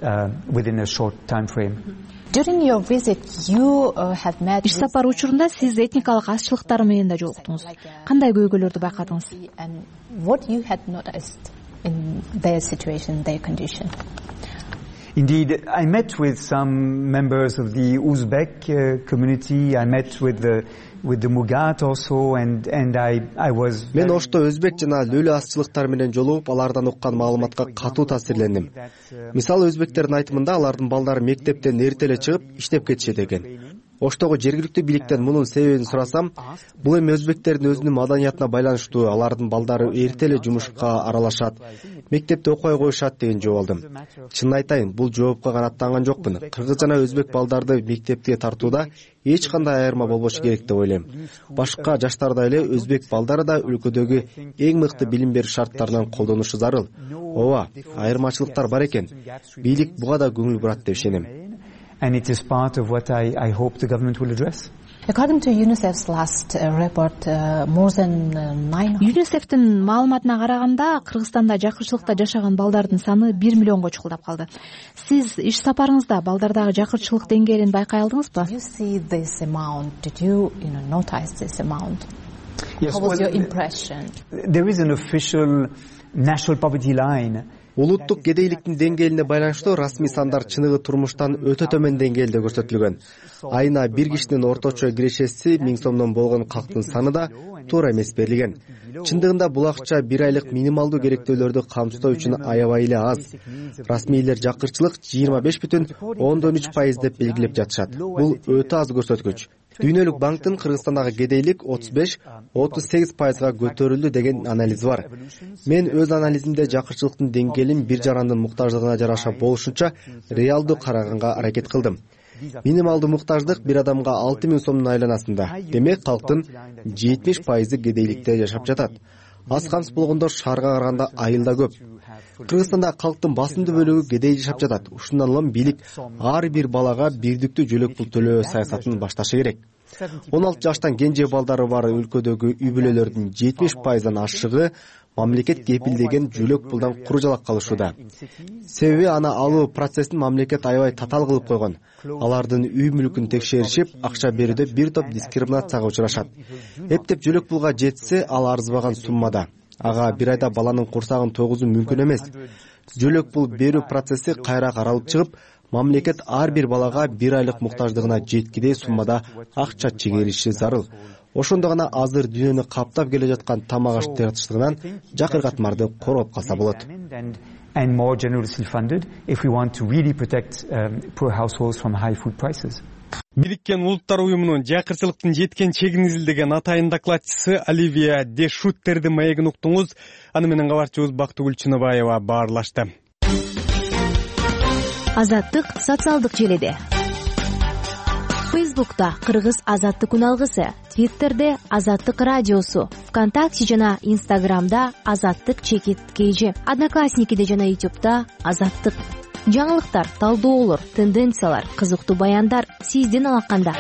within a short time frame. During your visit, you have met... Иш сапары учурунда сиз этникалык азчылыктар менен да жолуктуңуз. Кандай көйгөйлөрдү байкадыңыз? And what you had noticed in their situation, their condition? Indeed, I met with some members of the Uzbek community. I met with the Mugat also, and I was. Мен ошто өзбек жана лөлө азчылыктар менен жолугуп, алардан уккан маалыматка катуу таасирлендим. Мисалы, өзбектердин айтымында алардын балдары мектептен эрте эле чыгып иштеп кетишет экен. Оштогу жергиликтүү бийликтен мунун себебин сурасам, бул эми өзбектердин өзүнүн маданиятына байланыштуу, алардын балдары эрте эле жумушка аралашат, мектепте окуй коюшат деген жооп алдым. Чынын айтайын, бул жоопко канааттанган жокмун. Кыргыз жана өзбек балдарды мектепке тартууда эч кандай айырма болбошу керек деп ойлойм. Башка жаштардай эле өзбек балдары да өлкөдөгү эң мыкты билим берүү шарттарынан колдонушу зарыл. Ооба, айырмачылыктар бар экен. Бийлик буга да көңүл бурат деп ишенем. And it is part of what I hope the government will address. According to UNICEF's last report, more than 900... UNICEF'тин маалыматына караганда, Кыргызстанда жакырчылыкта жашаган балдардын саны 1 миллионго чукулдап калды. Сиз иш сапарыңызда балдардагы жакырчылык деңгээлин байкай алдыңызбы? Did you see this amount? Did you notice this amount? Yes, How was your impression? There is an official national poverty line. Улуттук кедейликтин деңгээлине байланыштуу расмий сандар чыныгы турмуштан өтө төмөн деңгээлде көрсөтүлгөн. Айына бир кишинин орточо кирешеси 1000 сомдон болгон калктын саны да туура эмес берилген. Чындыгында бул акча бир айлык минималдуу керектөөлөрдү камсыздоо үчүн аябай эле аз. Расмийлер жакырчылык 25,3% деп белгилеп жатышат. Бул өтө аз көрсөткүч. Дүйнөлүк банктын Кыргызстандагы кедейлик 35-38%га көтөрүлдү деген анализи бар. Мен өз анализимде жакырчылыктын деңгээлин бир жарандын муктаждыгына жараша болушунча реалдуу караганга аракет кылдым. Минималдуу муктаждык бир адамга 6000 сомдун айланасында. Демек, калктын 70%ы кедейликте жашап жатат. аз камсыз болгондо шаарга караганда айыл да көп. Кыргызстанда калктын басымдуу бөлүгү кедей жашап жатат. Ушундан улам бийлик ар бир балага бирдиктүү жөлөк пул төлөө саясатын башташы керек. 16 жаштан кенже балдары бар өлкөдөгү үй бүлөлөрдүн 70%дан ашыгы мамлекет кепилдеген жөлөк пулдан куру-жалак калышууда. Себеби аны алуу процессин мамлекет аябай татаал кылып койгон. Алардын үй мүлкүн текшеришип, акча берүүдө бир топ дискриминацияга учурашат. Эптеп жөлөк пулга жетсе, ал арзыбаган суммада. Ага бир айда баланын курсагын тойгузуу мүмкүн эмес. Жөлөк пул берүү процесси кайра каралып чыгып, мамлекет ар бир балага 1 айлык муктаждыгына жеткидей суммада акча чегериши зарыл. Ошондо гана азыр дүйнөнү каптап келе жаткан тамак аш тартыштыгынан жакыр катмарды короп калса болот. And more generously funded if we want to really protect poor households from high food prices. Бириккен Улуттар уюмунун жакырчылыктын жеткен чегин изилдеген атайын докладчысы Оливия де Шуттердин маегин уктуңуз. Аны менен кабарчыбыз Бактыгүл Чыныбаева баарлашты. Азаттык социалдык желеде. Фейсбукта Кыргыз Азаттык күн алгысы, Твиттерде Азаттык радиосу, ВКонтакте жана Инстаграмда Азаттык _KG, Одноклассникиде жана Ютубта Азаттык. Жаңылыктар, талдоолор, тенденциялар, кызыктуу баяндар сиздин алаканда.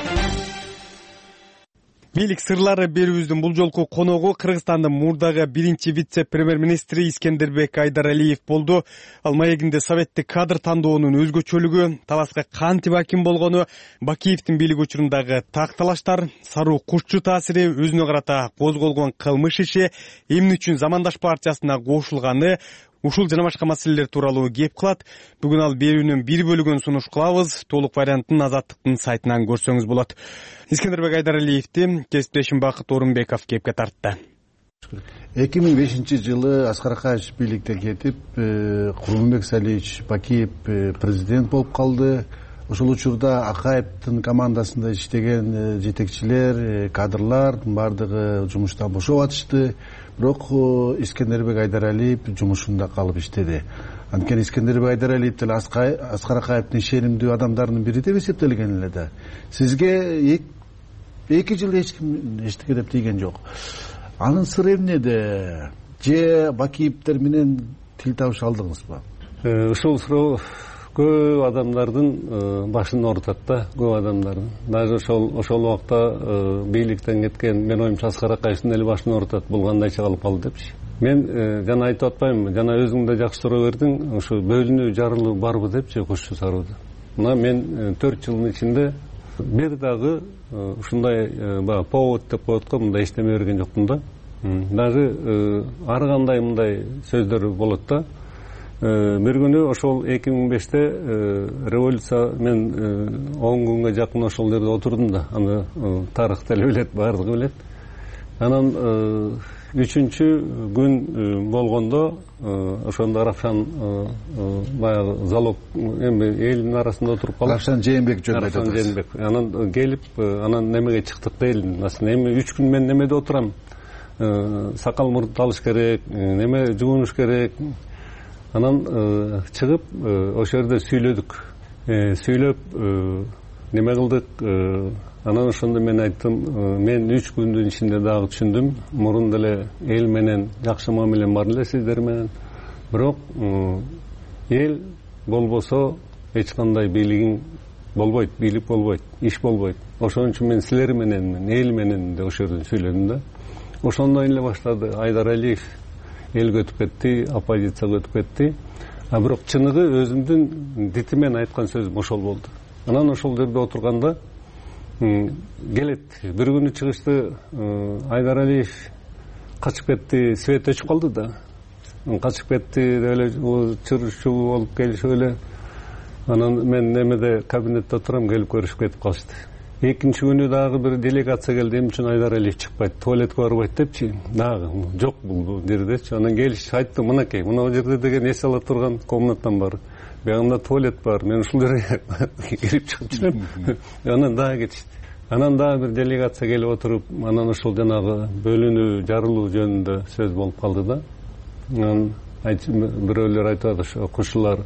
Бийлик сырлары берүүбүздүн бул жолку коногу Кыргызстандын мурдагы биринчи вице-премьер-министри Искендербек Айдаралиев болду. Ал маегинде советтик кадр тандоонун өзгөчөлүгү, таласка кантип аким болгону, Бакиевдин бийлик учурундагы такталаштар, Саруу Кушчу таасири, өзүнө карата козголгон кылмыш иши, эмне үчүн Замандаш партиясына кошулганы, ушул жана башка маселелер тууралуу кеп кылат. Бүгүн ал берүүнүн бир бөлүгүн сунуш кылабыз. Толук вариантын Азаттыктын сайтынан көрсөңүз болот. Искендербек Айдаралиевди кесиптешим Бакыт Орунбеков кепке тартты. 2005-жылы Аскар Акаевич бийликтен кетип, Курманбек Салиевич Бакиев президент болуп калды. Ошол учурда Акаевдин командасында иштеген жетекчилер, кадрлар бардыгы жумуштан бошоп атышты. Бирок Искендербек Айдаралиев жумушунда калып иштеди. Анткени Искендербек Айдаралиев деле Аскар Акаевдин ишенимдүү адамдарынын бири деп эсептелген эле да. Сизге 2 жыл эч ким эчтеке деп тийген жок. Анын сыры эмнеде? Же Бакиевдер менен тил табыша алдыңызбы? Ушул суроо көп адамдардын башын оорутат да, көп адамдардын. Даже ошол убакта бийликтен кеткен, мен оюмча Аскар Акаевдин эле башын оорутат, бул кандайча кылып калды депчи. Мен жана айтып атпаймынбы, жана өзүң да жакшы суроо бердиң, ушу бөлүнүү жарылуу барбы депчи Кушчу Саруудо. Мына мен 4 жылдын ичинде бир дагы ушундай повод деп коет го, мындай иштеме берген жокмун да. Даже ар кандай мындай сөздөр болот да. Бир күнү ошол 2005-те революция, мен 10 күнгө жакын ошол жерде отурдум да. Аны тарых деле билет, баардыгы билет. Анан 3-күн болгондо ошондо Равшан баягы залог эми элдин арасында отуруп калып, Равшан Жээнбек жөнүндө айтып атасыз. Анан келип, анан немеге чыктык дейлин. Аслында эми 3 күн мен немеде отурам. Сакал мурду алыш керек, неме жуунуш керек. Анан чыгып ошол жерде сүйлөдүк. Сүйлөп неме кылдык. Анан ошондо мен айттым, мен 3 күндүн ичинде дагы түшүндүм, мурун деле эл менен жакшы мамилем бар эле сиздер менен. Бирок эл болбосо эч кандай бийлигиң болбойт, бийлик болбойт, иш болбойт. Ошон үчүн мен силер менен, эл менен де ошол жерден сүйлөдүм да. Ошондон эле баштады. Айдаралиев элге өтүп кетти, оппозицияга өтүп кетти. А бирок чыныгы өзүмдүн дити менен айткан сөзүм ошол болду. Анан ошол жерде отурганда келет. Бир күнү чыгышты, Айдаралиев качып кетти, свет өчүп калды да. Качып кетти, эле чыр-чуу болуп келишип эле. Анан мен немеде кабинетте отурам, келип көрүшүп кетип калышты. Экинчи күнү дагы бир делегация келди, эмне үчүн Айдаралиев чыкпайт, туалетке барбайт депчи. Дагы жок бул жердечи. Анан келиш айттым, мынакей, мына жерде деген эс ала турган комнатам бар. Буягында туалет бар. Мен ушул жерге кирип чыгып жүрөм. Анан дагы кетишти. Анан дагы бир делегация келип отуруп, анан ошол жанагы бөлүнүү, жарылуу жөнүндө сөз болуп калды да. Анан бирөөлөр айтат, ошо кушулар,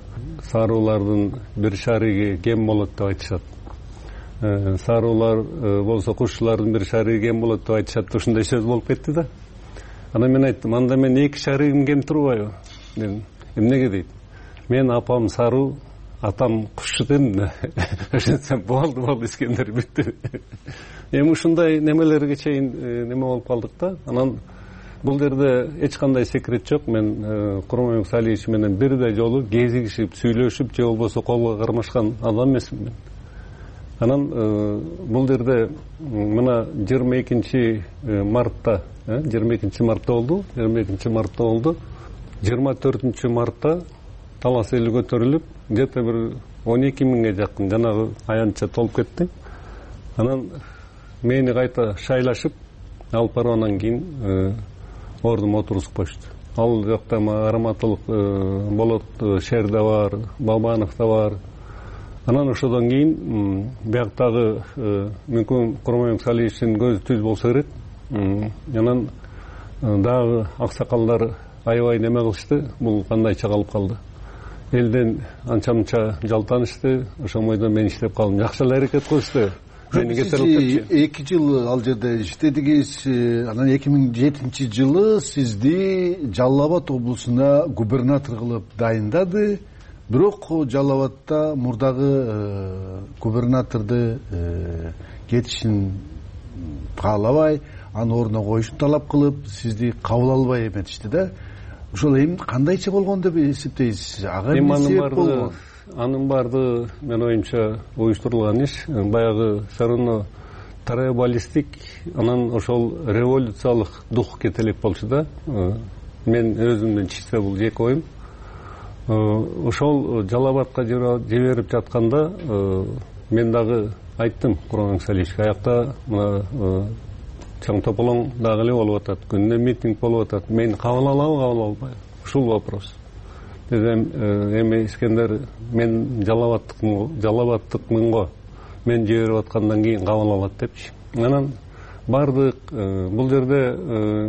саруулардын бир шариги кем болот деп айтышат. Саруулар болсо кушулардын бир шариги кем болот деп айтышат. Ушундай сөз болуп кетти да. Анан мен айттым, анда мен 2 шарыгым кем турбайбы дедим. Эмнеге дейт? Мен апам Саруу, атам Кушчу дедим да. Ошентсем болду Искендер бүттү. Эми ушундай немелерге чейин неме болуп калдык да. Анан бул жерде эч кандай секрет жок. Мен Курманбек Салиевич менен бирдей жолу кезигишип, сүйлөшүп, же болбосо колго кармашкан адам эмесмин мен. Анан бул жерде мына 22 мартта 22 мартта болду. 22 мартта болду. 24 мартта Талас эли көтөрүлүп, где-то бир 12 миңге жакын жанагы аянтча толуп кетти. Анан мени кайта шайлашып алып барып анан кийин ордума отургузуп коюшту. Ал жакта Араматылык Болот Шер да бар, Бабанов да бар. Анан ошодон кийин бияктагы мүмкүн Курманбек Салиевичтин көзү түз болсо керек. Анан дагы аксакалдар аябай неме кылышты. Бул кандайча калып калды. Элден анча-мынча жалтанышты. Ошол бойдон мен иштеп калдым. Жакшы эле аракет кылышты. Мени кетирип 2 жыл ал жерде иштедиңиз. Анан 2007-жылы сизди Жалал Абад облусуна губернатор кылып дайындады. Бирок Жалал Абадта мурдагы губернаторду кетишин каалабай, аны ордуна коюшун талап кылып, сизди кабыл албай эметишти да. Ошол эми кандайча болгон деп эсептейсиз? Ага эмне себеп болгон? Анын баардыгы менин оюмча уюштурулган иш. Баягы все равно троебаллистик, анан ошол революциялык дух кете элек болчу да. Мен өзүмдүн чисте бул жеке оюм. Ошол Жалал Абадка жиберип жатканда мен дагы айттым Курманбек Салиевичке, аякта мына чоң тополоң дагы эле болуп атат, күнүнө митинг болуп атат. Мени кабыл алабы, кабыл албайбы? Ушул вопрос. Дедим, эми Искендер, мен Жалал Абадтыкмын го. Мен жиберип аткандан кийин кабыл алат депчи. Анан бардык бул жерде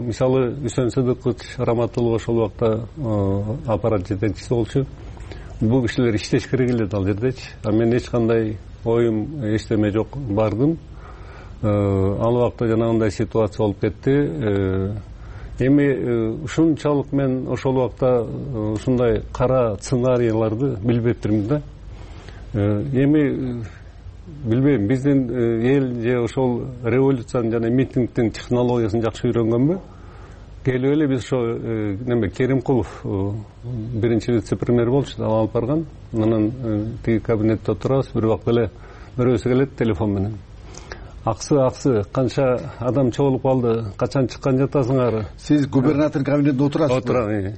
мисалы Үсөн Сыдыкович Раматылов ошол убакта аппарат жетекчиси болчу. Бул кишилер иштеш керек эле ал жердечи. А мен эч кандай оюм, эчтеме жок, бардым. Ал убакта жанагындай ситуация болуп кетти. Эми ушунчалык мен ошол убакта ушундай кара сценарийларды билбептирмин да. Эми билбейм, биздин эл же ошол революциянын жана митингдин технологиясын жакшы үйрөнгөнбү? Келип эле биз ошо неме Керимкулов биринчи вице-премьер болчу, ал алып барган. Анан тиги кабинетте отурабыз, бир убакта эле бирөөсү келет телефон менен. Аксы, канча адам чогулуп калды, качан чыккан жатасыңар? Сиз губернатордун кабинетинде отурасызбы? Отурам.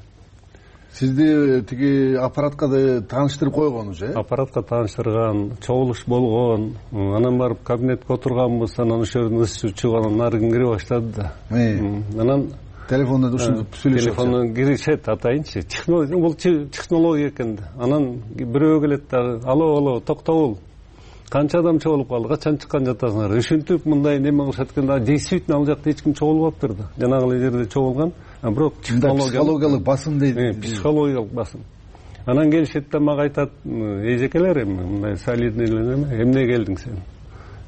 Сизди тиги аппаратка да тааныштырып койгон уже? Аппаратка тааныштырган, чогулуш болгон. Анан барып кабинетке отурганбыз, анан ошол жерден ысчы чыгып, анан нарыгын кире баштады да. Анан телефондон ушинтип сүйлөшөт. Телефондон киришет, атайынчы. Технология, бул технология экен. Анан бирөө келет дагы, алло, токтогул. Канча адам чогулуп калды, качан чыккан жатасыңар? Ушинтип мындай неме кылышат экен да. Действительно ал жакта эч ким чогулбаптыр да. Жанагы жерде чогулган. Бирок психологиялык басым дейт. Психологиялык басым. Анан келишет да мага айтат, эжекелер эми мындай солидный неме, эмне келдиң сен?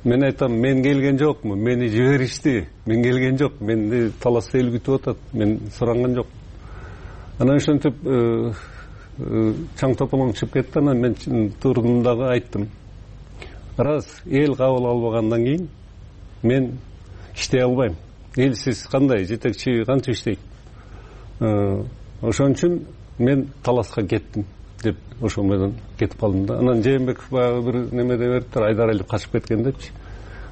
Мен айтам, мен келген жокмун, мени жиберишти. Мен келген жок, менди Талас эл күтүп атат. Мен суранган жок. Анан ошентип чаң тополоң чыгып кетти, анан мен турдум дагы айттым. Раз эл кабыл албагандан кийин мен иштей албайм. Элсиз кандай, жетекчи канча иштейт? Ошон үчүн мен Таласка кеттим деп ошол менен кетип калдым да. Анан Жээнбеков баягы бир неме деп бериптир, Айдар Алиев качып кеткен депчи.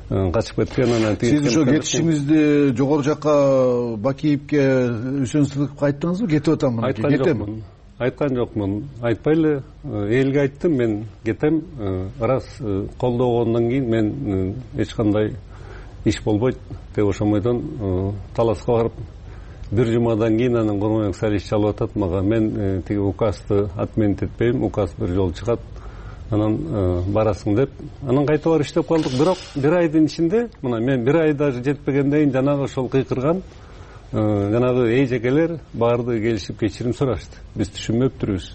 Качып кеткен, анан сиз ошо кетишиңизди жогору жакка Бакиевке, Үсөн Сыдыковго айттыңызбы? Кетип атам, кетем. Айткан жокмун. Айтпай эле элге айттым, мен кетем. Раз колдогондон кийин мен эч кандай иш болбойт деп ошол бойдон Таласка барып бир жумадан кийин анан Курманбек Салиевич чалып атат мага. Мен тиги указды отменить этпейм, указ бир жолу чыгат, анан барасың деп. Анан кайта барып иштеп калдык. Бирок бир айдын ичинде, мына мен бир ай даже жетпегенден кийин жанагы ошол кыйкырган жанагы эжекелер баардыгы келишип кечирим сурашты. Биз түшүнбөптүрбүз.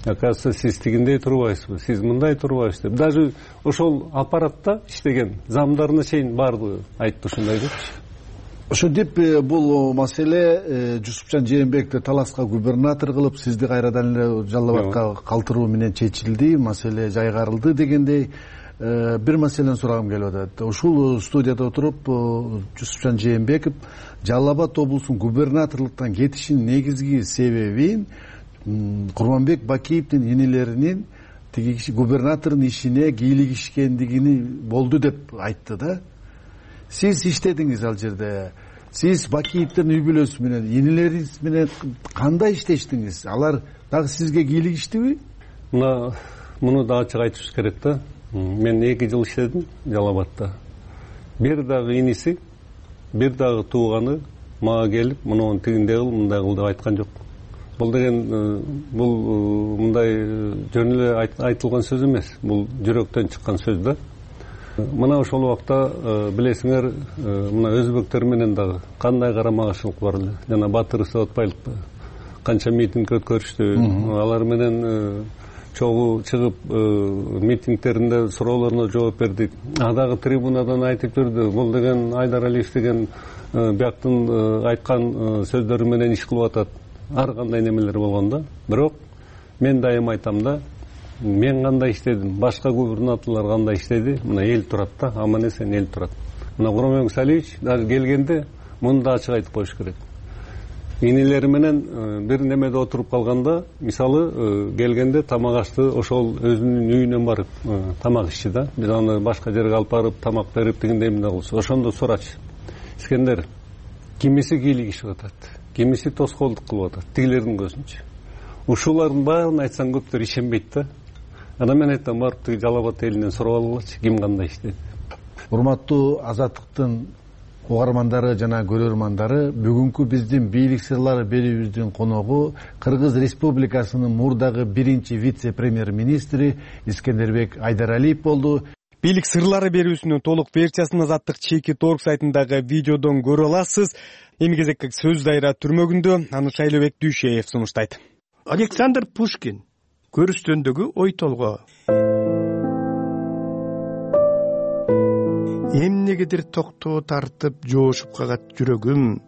Оказывается, сиз тигиндей турбайсызбы, сиз мындай турбайсыз деп. Даже ошол аппаратта иштеген замдарына чейин баардыгы айтты ушундай депчи. ошентип бул маселе Жусупжан Жээнбековди таласка губернатор кылып сизди кайрадан эле Жалал абадка калтыруу менен чечилди, маселе жайгарылды дегендей бир маселени сурагым келип атат. Ушул студияда отуруп Жусупжан Жээнбеков Жалал Абад облусунун губернаторлуктан кетишинин негизги себебин Курманбек Бакиевдин инелеринин тиги губернатордун ишине кийлигишкендигини болду деп айтты да. Сиз иштедиңиз ал жерде. Сиз Бакиевдин үй бүлөсү менен, инелериңиз менен кандай иштештиңиз? Алар дагы сизге кийлигиштиби? Муну да ачык айтышыбыз керек да. Мен 2 жыл иштедим Жалал Абадта. Бир дагы иниси, бир дагы тууганы мага келип, муну тигиндей кыл, мындай кыл деп айткан жок. Бул деген бул мындай жөн эле айтылган сөз эмес. Бул жүрөктөн чыккан сөз да. Мына ошол убакта билесиңер, мына өзбектер менен дагы кандай карама каршылык бар эле. Жана Батыр Сабатбаевпы канча митинг өткөрүштү. Алар менен чогуу чыгып митингдеринде суроолоруна жооп бердик. Дагы трибунадан айтып жүрдү. Бул деген Айдар Алиев деген бияктын айткан сөздөрү менен иш кылып атат. Ар кандай немелер болгон да. Бирок мен дайым айтам да, мен кандай иштедим, башка губернаторлор кандай иштеди, мына эл турат да, аман эсен эл турат. Мына Курманбек Салиевич даже келгенде муну да ачык айтып коюш керек. Инелери менен бир немеде отуруп калганда, мисалы келгенде тамак ашты, ошол өзүнүн үйүнөн барып тамак ичти да. Биз аны башка жерге алып барып тамак берип дегендей эмне кылчу. Ошондо сурачы. Искендер, кимиси кийлигишип атат, кимиси тоскоолдук кылып атат, тигилердин көзүнчө. Ушулардын баарын айтсаң көптөр ишенбейт да. Анан мен айтам, барып тиги Жалал Абад элинен сурап алгылачы, ким кандай иштеди. Урматтуу Азаттыктын угармандары жана көрөрмандары, бүгүнкү биздин бийлик сырлары берүүбүздүн коногу Кыргыз Республикасынын мурдагы 1-чи вице-премьер-министри Искендербек Айдаралиев болду. Бийлик сырлары берүүсүнүн толук версиясын Азаттык Чекит.org сайтындагы видеодон көрө аласыз. Эми кезекке сөз дайра түрмөгүндө аны Шайлообек Дүйшеев сунуштайт. Александр Пушкин көрүстөндөгү ой толгоо. Эмнегедир токтоо тартып жоошуп кагат жүрөгүм.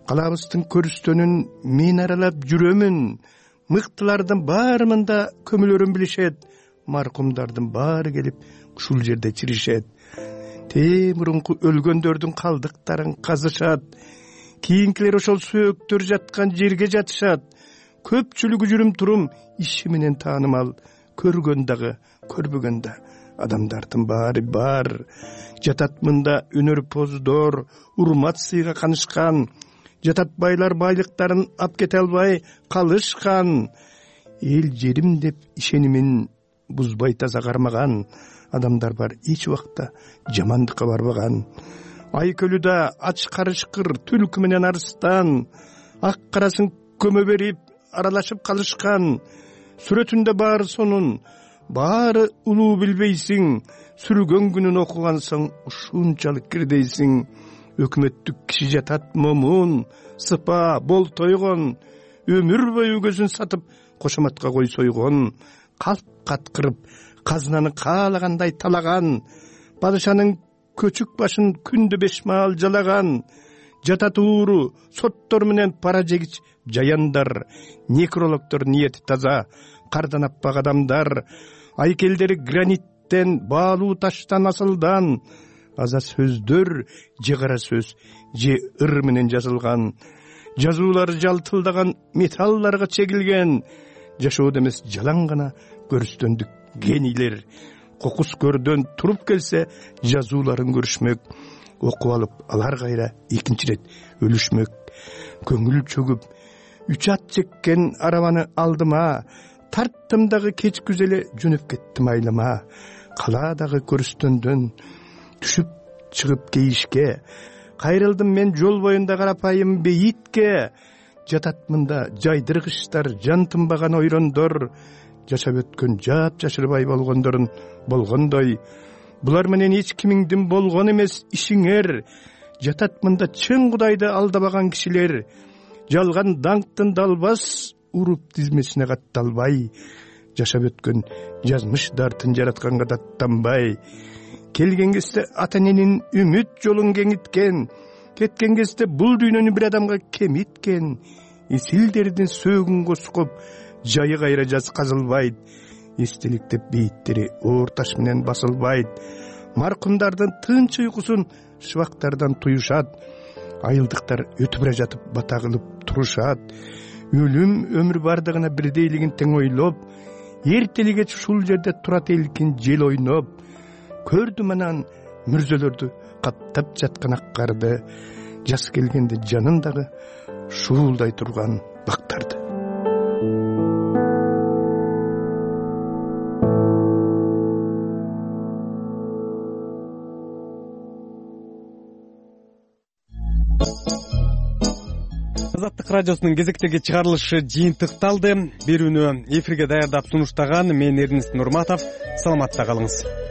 Калабыздын көрүстөнүн мен аралап жүрөмүн. Мыктылардын баарында көмүлөрүн билишет. Маркумдардын баары келип ушул жерде чиришет. Мурунку өлгөндөрдүн калдыктарын казышат. Кийинкилер ошол сөөктөр жаткан жерге жатышат. Көпчүлүгү жүрүм турум иши менен таанымал. Көргөн дагы, көрбөгөн да адамдардын баары бар. Жатат мында өнөрпоздор, урмат сыйга канышкан. Жатат байлар байлыктарын ап кете албай калышкан. Эл жерим деп ишенимин бузбай таза кармаган адамдар бар, эч убакта жамандыкка барбаган. Айкөлүдө ач карышкыр түлкү менен арыстан, ак карасын көмө берип аралашып калышкан. Сүрөтүндө баары сонун, баары улуу билбейсиң. Сүргөн күнүн окугансың, ушунчалык кирдейсиң. Өкмөттүк киши жатат момун, сыпа, бол тойгон. Өмүр бою көзүн сатып, кошоматка кой сойгон. Калп каткырып, казынаны каалагандай талаган. Падышанын көчүк башын күндө 5 маал жалаган. Жатат ууру, соттор менен пара жегич жаяндар. Некрологдор ниети таза, кардан аппак адамдар. Айкелдери граниттен, баалуу таштан асылдан. Аза сөздөр, же кара сөз, же ыр менен жазылган. Жазуулары жалтылдаган металларга чегилген. Жашоодо эмес жалаң гана көрүстөндүк генийлер. Кокус көрдөн туруп келсе, жазууларын көрүшмөк. Окуп алып, алар кайра экинчи рет өлүшмөк. Көңүл чөгүп, 3 ат чеккен арабаны алдыма. Тарттым дагы кеч күзеле жөнөп кеттим айлама. Калаадагы көрүстөндөн түшүп чыгып кейишке. Кайрылдым мен жол боюнда карапайым бейитке. Жатат мында жайдыргычтар, жан тынбаган ойрондор. Жашап өткөн жап жашырбай болгондорун болгондой. Булар менен эч кимиңдин болгон эмес ишиңер. Жатат мында чын Кудайды алдабаган кишилер. Жалган даңктын далбас уруп тизмесине катталбай. Жашап өткөн жазмыш дартын жаратканга даттанбай. Келген кезде ата эненин үмүт жолун кеңиткен. кеткен кезде бул дүйнөнү бир адамга кемиткен исилдердин сөөгүнгө сукуп жайы кайра жазгазылбайт, эстеликтеп бейиттери оор таш менен басылбайт, маркумдардын тынч уйкусун шыбактардан туюшат, айылдыктар өтүп бара жатып бата кылып турушат, өлүм өмүр бардыгына бирдейлигин тең ойлоп, эртели кеч ушул жерде турат элкин жел ойноп, көрдүм анан мүрзөлөрдү каптап жаткан ак карды, жаз келгенде жанындагы шуулдай турган бактарды. Азаттык радиосунун кезектеги чыгарылышы жыйынтыкталды. Берүүнү эфирге даярдап сунуштаган мен Эрнест Нурматов. Саламатта калыңыз.